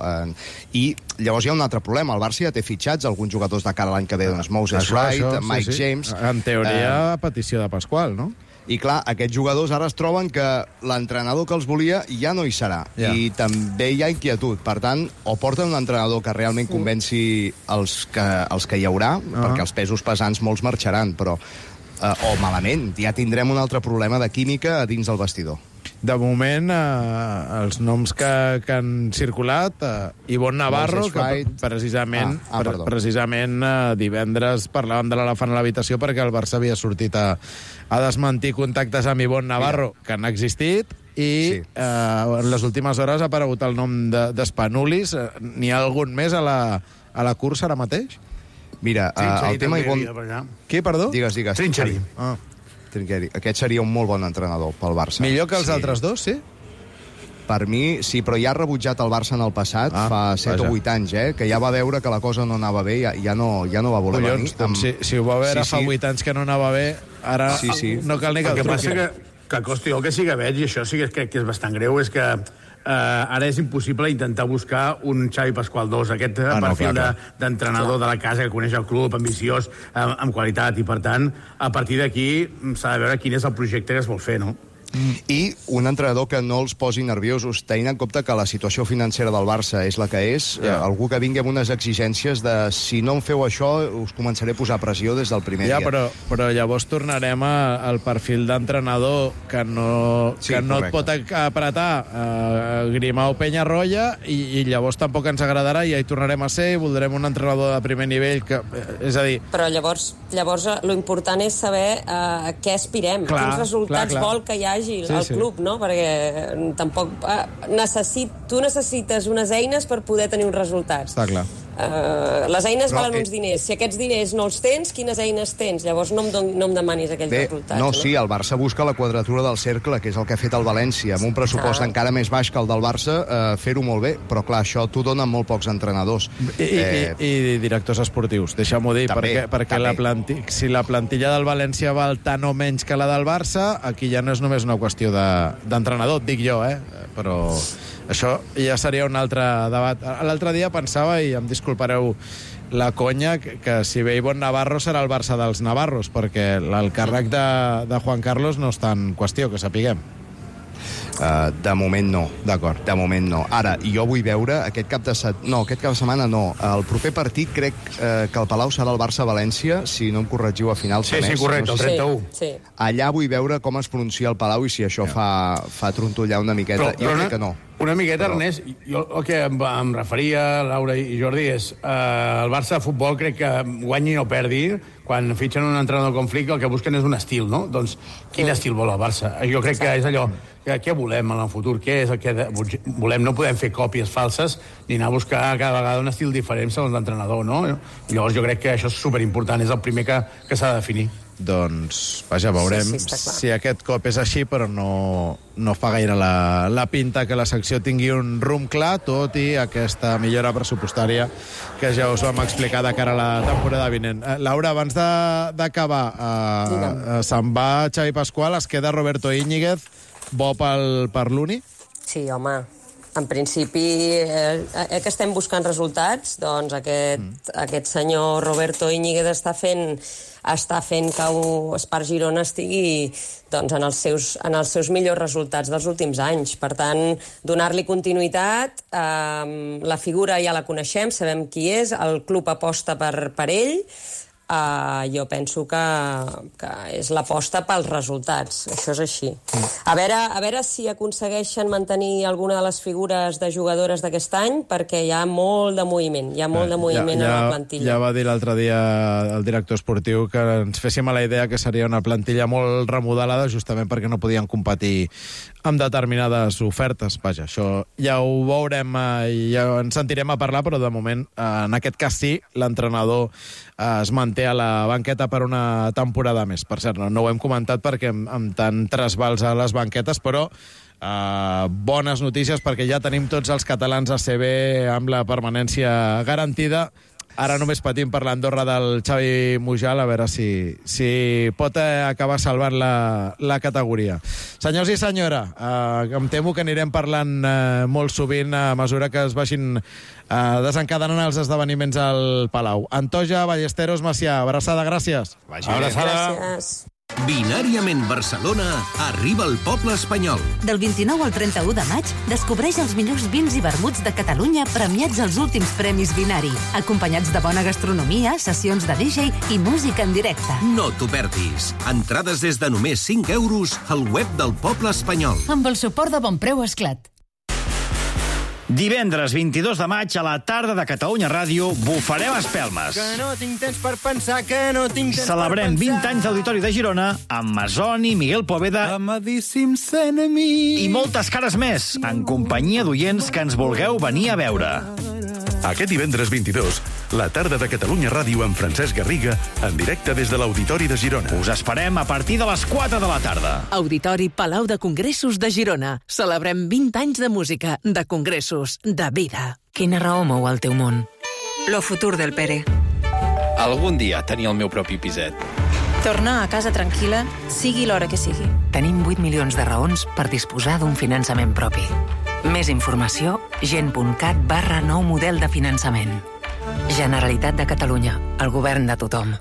I llavors hi ha un altre problema. El Barça ja té fitxats alguns jugadors de cara a l'any que ve, doncs Moses Wright, Mike James... En teoria, a petició de Pasqual, no? I clar, aquests jugadors ara es troben que l'entrenador que els volia ja no hi serà. I també hi ha inquietud. Per tant, o porten un entrenador que realment convenci els que hi haurà, perquè els pesos pesants molts marxaran, però... o malament, ja tindrem un altre problema de química a dins del vestidor. De moment, els noms que han circulat, Ivonne Navarro, que precisament divendres parlàvem de l'elefant a l'habitació perquè el Barça havia sortit a desmentir contactes amb Ivonne Navarro, que han existit, i en les últimes hores ha aparegut el nom d'Spanulis. N'hi ha algun més a la cursa ara mateix? Mira, el tema Ivonne... Qui, perdó? Digues. Trincheri. Trincheri. Aquest seria un molt bon entrenador pel Barça. Millor que els altres dos, sí? Per mi, sí, però ja ha rebutjat el Barça en el passat, fa 7 o 8 anys, que ja va veure que la cosa no anava bé, ja no va voler venir. Doncs si ho va veure fa 8 anys que no anava bé, ara no cal ni que... El que passa que costi, el que sí que veig, i això sí que crec que és bastant greu, és que ara és impossible intentar buscar un Xavi Pasqual 2, aquest perfil d'entrenador de la casa que coneix el club, ambiciós, amb qualitat, i per tant, a partir d'aquí s'ha de veure quin és el projecte que es vol fer, no? I un entrenador que no els posi nerviosos, tenint en compte que la situació financera del Barça és la que és, algú que vingui amb unes exigències de si no em feu això us començaré a posar pressió des del primer dia. Però llavors tornarem al perfil d'entrenador que no et pot apretar Grimau Penyarroia, i llavors tampoc ens agradarà, i ja hi tornarem a ser, i voldrem un entrenador de primer nivell, és a dir... Però llavors lo important és saber a què aspirem, quins resultats vol que hi hagi al club, no? Perquè tampoc... Tu necessites unes eines per poder tenir uns resultats. Està clar. Les eines valen uns diners. Si aquests diners no els tens, quines eines tens? Llavors no em demanis aquells resultats. No, sí, el Barça busca la quadratura del cercle, que és el que ha fet el València, amb un pressupost encara més baix que el del Barça, fer-ho molt bé, però clar, això t'ho donen molt pocs entrenadors. I directors esportius, deixa'm-ho dir, perquè si la plantilla del València val tant o menys que la del Barça, aquí ja no és només una qüestió d'entrenador, et dic jo, però... Això ja seria un altre debat. L'altre dia pensava, i em disculpareu la conya, que si ve Ivonne Navarro serà el Barça dels Navarros, perquè el càrrec de Juan Carlos no està en qüestió, que sapiguem. De moment no. D'acord. De moment no. Ara, jo vull veure aquest cap de setmana no. El proper partit crec que el Palau serà el Barça-València, si no em corregiu a finals de mes. Sí, correcte, el 31. Sí. Allà vull veure com es pronuncia el Palau i si això fa trontollar una miqueta. Jo crec que no. Una miqueta, Ernest, jo el que em referia, Laura i Jordi, és el Barça de futbol crec que guanyi o perdi, quan fitxen un entrenador com Flick el que busquen és un estil, no? Doncs quin estil vol el Barça? Jo crec que és allò, què volem en el futur? Què és el que volem? No podem fer còpies falses ni anar a buscar cada vegada un estil diferent segons l'entrenador, no? Llavors jo crec que això és superimportant, és el primer que s'ha de definir. Doncs, vaja, veurem si aquest cop és així, però no fa gaire la pinta que la secció tingui un rumb clar, tot i aquesta millora pressupostària que ja us vam explicar de cara a la temporada vinent. Laura, abans d'acabar, se'n va Xavi Pasqual, es queda Roberto Íñiguez, bo per l'Uni? Sí, home. en principi, que estem buscant resultats, doncs aquest senyor Roberto Íñiguez està fent que Espart Girona estigui doncs, en els seus millors resultats dels últims anys. Per tant, donar-li continuïtat, la figura ja la coneixem, sabem qui és, el club aposta per ell, jo penso que és l'aposta pels resultats, això és així. A veure si aconsegueixen mantenir alguna de les figures de jugadores d'aquest any, perquè hi ha molt de moviment, a la plantilla. Ja va dir l'altre dia el director esportiu que ens féssim a la idea que seria una plantilla molt remodelada justament perquè no podien competir amb determinades ofertes. Vaja, això ja ho veurem i ja ens sentirem a parlar, però de moment, en aquest cas sí, l'entrenador es manté a la banqueta per una temporada més. Per cert, no ho hem comentat perquè amb tant trasbals a les banquetes, però bones notícies perquè ja tenim tots els catalans a CB amb la permanència garantida. Ara només patim per l'Andorra del Xavi Mujal, a veure si pot acabar salvant la categoria. Senyors i senyora, em temo que anirem parlant molt sovint a mesura que es vagin desencadenant els esdeveniments al Palau. Antoja, Ballesteros, Macià, abraçada, gràcies. Abraçada. Gràcies. Binàriament Barcelona arriba al poble espanyol. Del 29 al 31 de maig, descobreix els millors vins i vermuts de Catalunya premiats als últims Premis Binari, acompanyats de bona gastronomia, sessions de DJ i música en directe. No t'ho perdis. Entrades des de només 5 euros al web del poble espanyol. Amb el suport de Bonpreu Esclat. Divendres 22 de maig a la tarda de Catalunya Ràdio bufarem espelmes. Que no tinc temps per pensar, que no tinc temps Celebrem per pensar. 20 anys d'Auditori de Girona amb Masoni, Miguel Poveda Amadíssims enemies. i moltes cares més, en companyia d'oients que ens vulgueu venir a veure. Aquest divendres 22, la tarda de Catalunya Ràdio amb Francesc Garriga, en directe des de l'Auditori de Girona. Us esperem a partir de les 4 de la tarda. Auditori Palau de Congressos de Girona. Celebrem 20 anys de música, de congressos, de vida. Quina raó mou el teu món? Lo futur del Pere. Algun dia tenir el meu propi piset. Tornar a casa tranquil·la, sigui l'hora que sigui. Tenim 8 milions de raons per disposar d'un finançament propi. Més informació, gent.cat/nou model de finançament. Generalitat de Catalunya, el govern de tothom.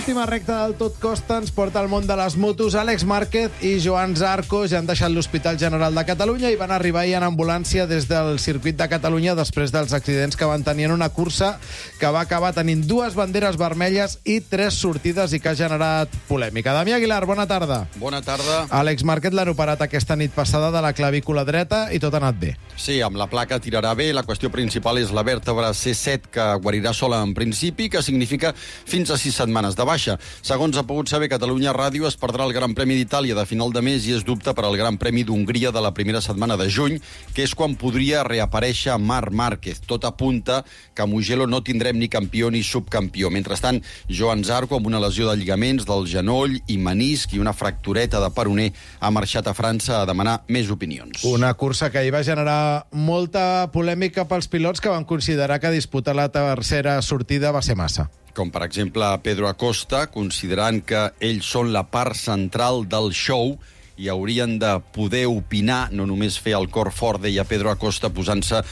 L'última recta del Tot Costa ens porta al món de les motos. Àlex Márquez i Joan Zarco ja han deixat l'Hospital General de Catalunya i van arribar ahir en ambulància des del circuit de Catalunya després dels accidents que van tenir en una cursa que va acabar tenint 2 banderes vermelles i 3 sortides i que ha generat polèmica. Damià Aguilar, bona tarda. Bona tarda. Àlex Márquez l'han operat aquesta nit passada de la clavícula dreta i tot ha anat bé. Sí, amb la placa tirarà bé. La qüestió principal és la vèrtebra C7, que guarirà sola en principi, que significa fins a 6 setmanes de baixa. Segons ha pogut saber Catalunya Ràdio, es perdrà el Gran Premi d'Itàlia de final de mes i es dubta per al Gran Premi d'Hongria de la primera setmana de juny, que és quan podria reaparèixer Marc Márquez. Tot apunta que a Mugello no tindrem ni campió ni subcampió. Mentrestant, Joan Zarco, amb una lesió de lligaments del genoll i menisc i una fractureta de peroné, ha marxat a França a demanar més opinions. Una cursa que ahir va generar molta polèmica pels pilots que van considerar que disputar la tercera sortida va ser massa. Com, per exemple, Pedro Acosta, considerant que ells són la part central del show i haurien de poder opinar, no només fer el cor fort, deia Pedro Acosta, posant-se,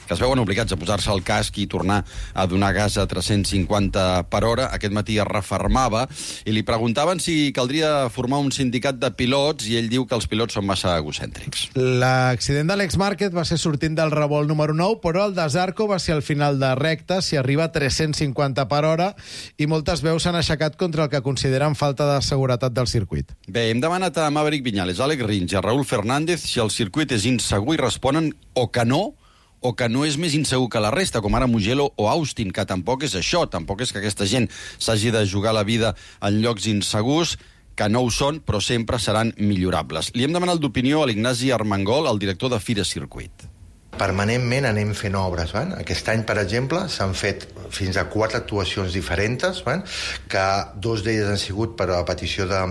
que es veuen obligats a posar-se el casc i tornar a donar gas a 350 per hora. Aquest matí es refermava i li preguntaven si caldria formar un sindicat de pilots i ell diu que els pilots són massa egocèntrics. L'accident d'Àlex Márquez va ser sortint del revolt número 9, però el de Zarco va ser al final de recta, si arriba a 350 per hora, i moltes veus s'han aixecat contra el que consideren falta de seguretat del circuit. Bé, hem demanat a Maverick Viñales, Àlex Rins i a Raúl Fernández si el circuit és insegur i responen o que no és més insegur que la resta, com ara Mugello o Austin, que tampoc és això, tampoc és que aquesta gent s'hagi de jugar la vida en llocs insegurs, que no ho són, però sempre seran millorables. Li hem demanat d'opinió a l'Ignasi Armengol, el director de Fira Circuit. permanentment anem fent obres. Aquest any, per exemple, s'han fet fins a 4 actuacions diferents, que 2 d'elles han sigut per a petició de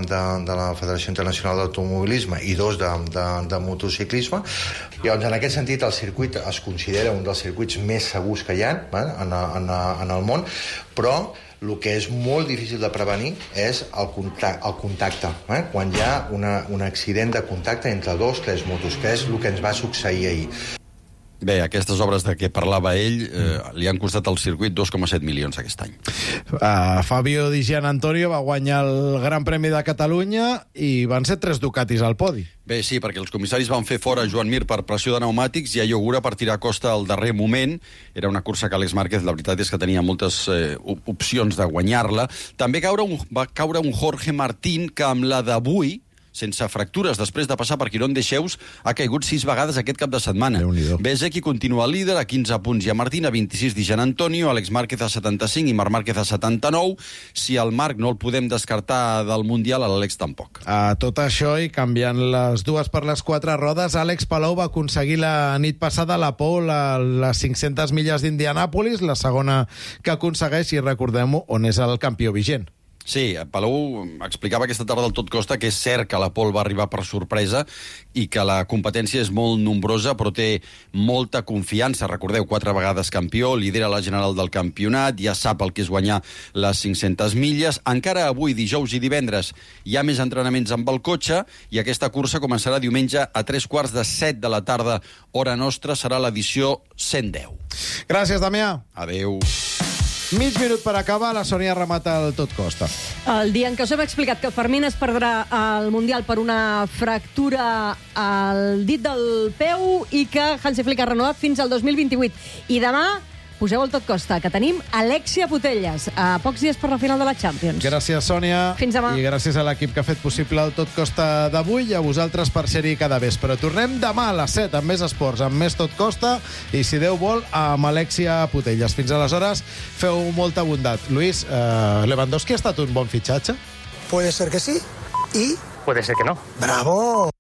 la Federació Internacional d'Automobilisme i 2 de motociclisme. Llavors, en aquest sentit, el circuit es considera un dels circuits més segurs que hi ha en el món, però el que és molt difícil de prevenir és el contacte. Quan hi ha un accident de contacte entre 2 o 3 motos, que és el que ens va succeir ahir. Bé, aquestes obres de què parlava ell li han costat al circuit 2,7 milions aquest any. Fabio Di Gianantonio va guanyar el Gran Premi de Catalunya i van ser 3 Ducatis al podi. Bé, sí, perquè els comissaris van fer fora Joan Mir per pressió de pneumàtics i a Iogura per tirar a costa al darrer moment. Era una cursa que Àlex Márquez, la veritat és que tenia moltes opcions de guanyar-la. També va caure un Jorge Martín que amb la d'avui, sense fractures, després de passar per Quirón de Xeus, ha caigut 6 vegades aquest cap de setmana. Bezeki continua líder a 15 punts i a Martín a 26 Di Gianantonio, Àlex Márquez a 75 i Marc Márquez a 79. Si el Marc no el podem descartar del Mundial, l'Àlex tampoc. A tot això, i canviant les 2 per les 4 rodes, Àlex Palou va aconseguir la nit passada la pole a les 500 milles d'Indianàpolis, la segona que aconsegueix, i recordem-ho, on és el campió vigent. Sí, Palou explicava aquesta tarda al Tot Costa que és cert que la pole va arribar per sorpresa i que la competència és molt nombrosa, però té molta confiança. Recordeu, 4 vegades campió, lidera la general del campionat, ja sap el que és guanyar les 500 milles. Encara avui, dijous i divendres, hi ha més entrenaments amb el cotxe i aquesta cursa començarà diumenge a 3:45 de la tarda, hora nostra, serà l'edició 110. Gràcies, Damià. Adéu. Mig minut per acabar, la Sònia remata el Tot Costa. El dia en què us hem explicat que Fermín es perdrà al Mundial per una fractura al dit del peu i que Hansi Flick ha renovat fins al 2028. I demà poseu el Tot Costa, que tenim Alexia Putellas a pocs dies per la final de la Champions. Gràcies, Sònia. Fins demà. I gràcies a l'equip que ha fet possible el Tot Costa d'avui i a vosaltres per ser-hi cada vespre. Tornem demà a les 7 amb més esports, amb més Tot Costa i, si Déu vol, amb Alexia Putellas. Fins aleshores, feu molta bondat. Luis, Lewandowski ha estat un bon fitxatge? Puede ser que sí y... Puede ser que no. ¡Bravo!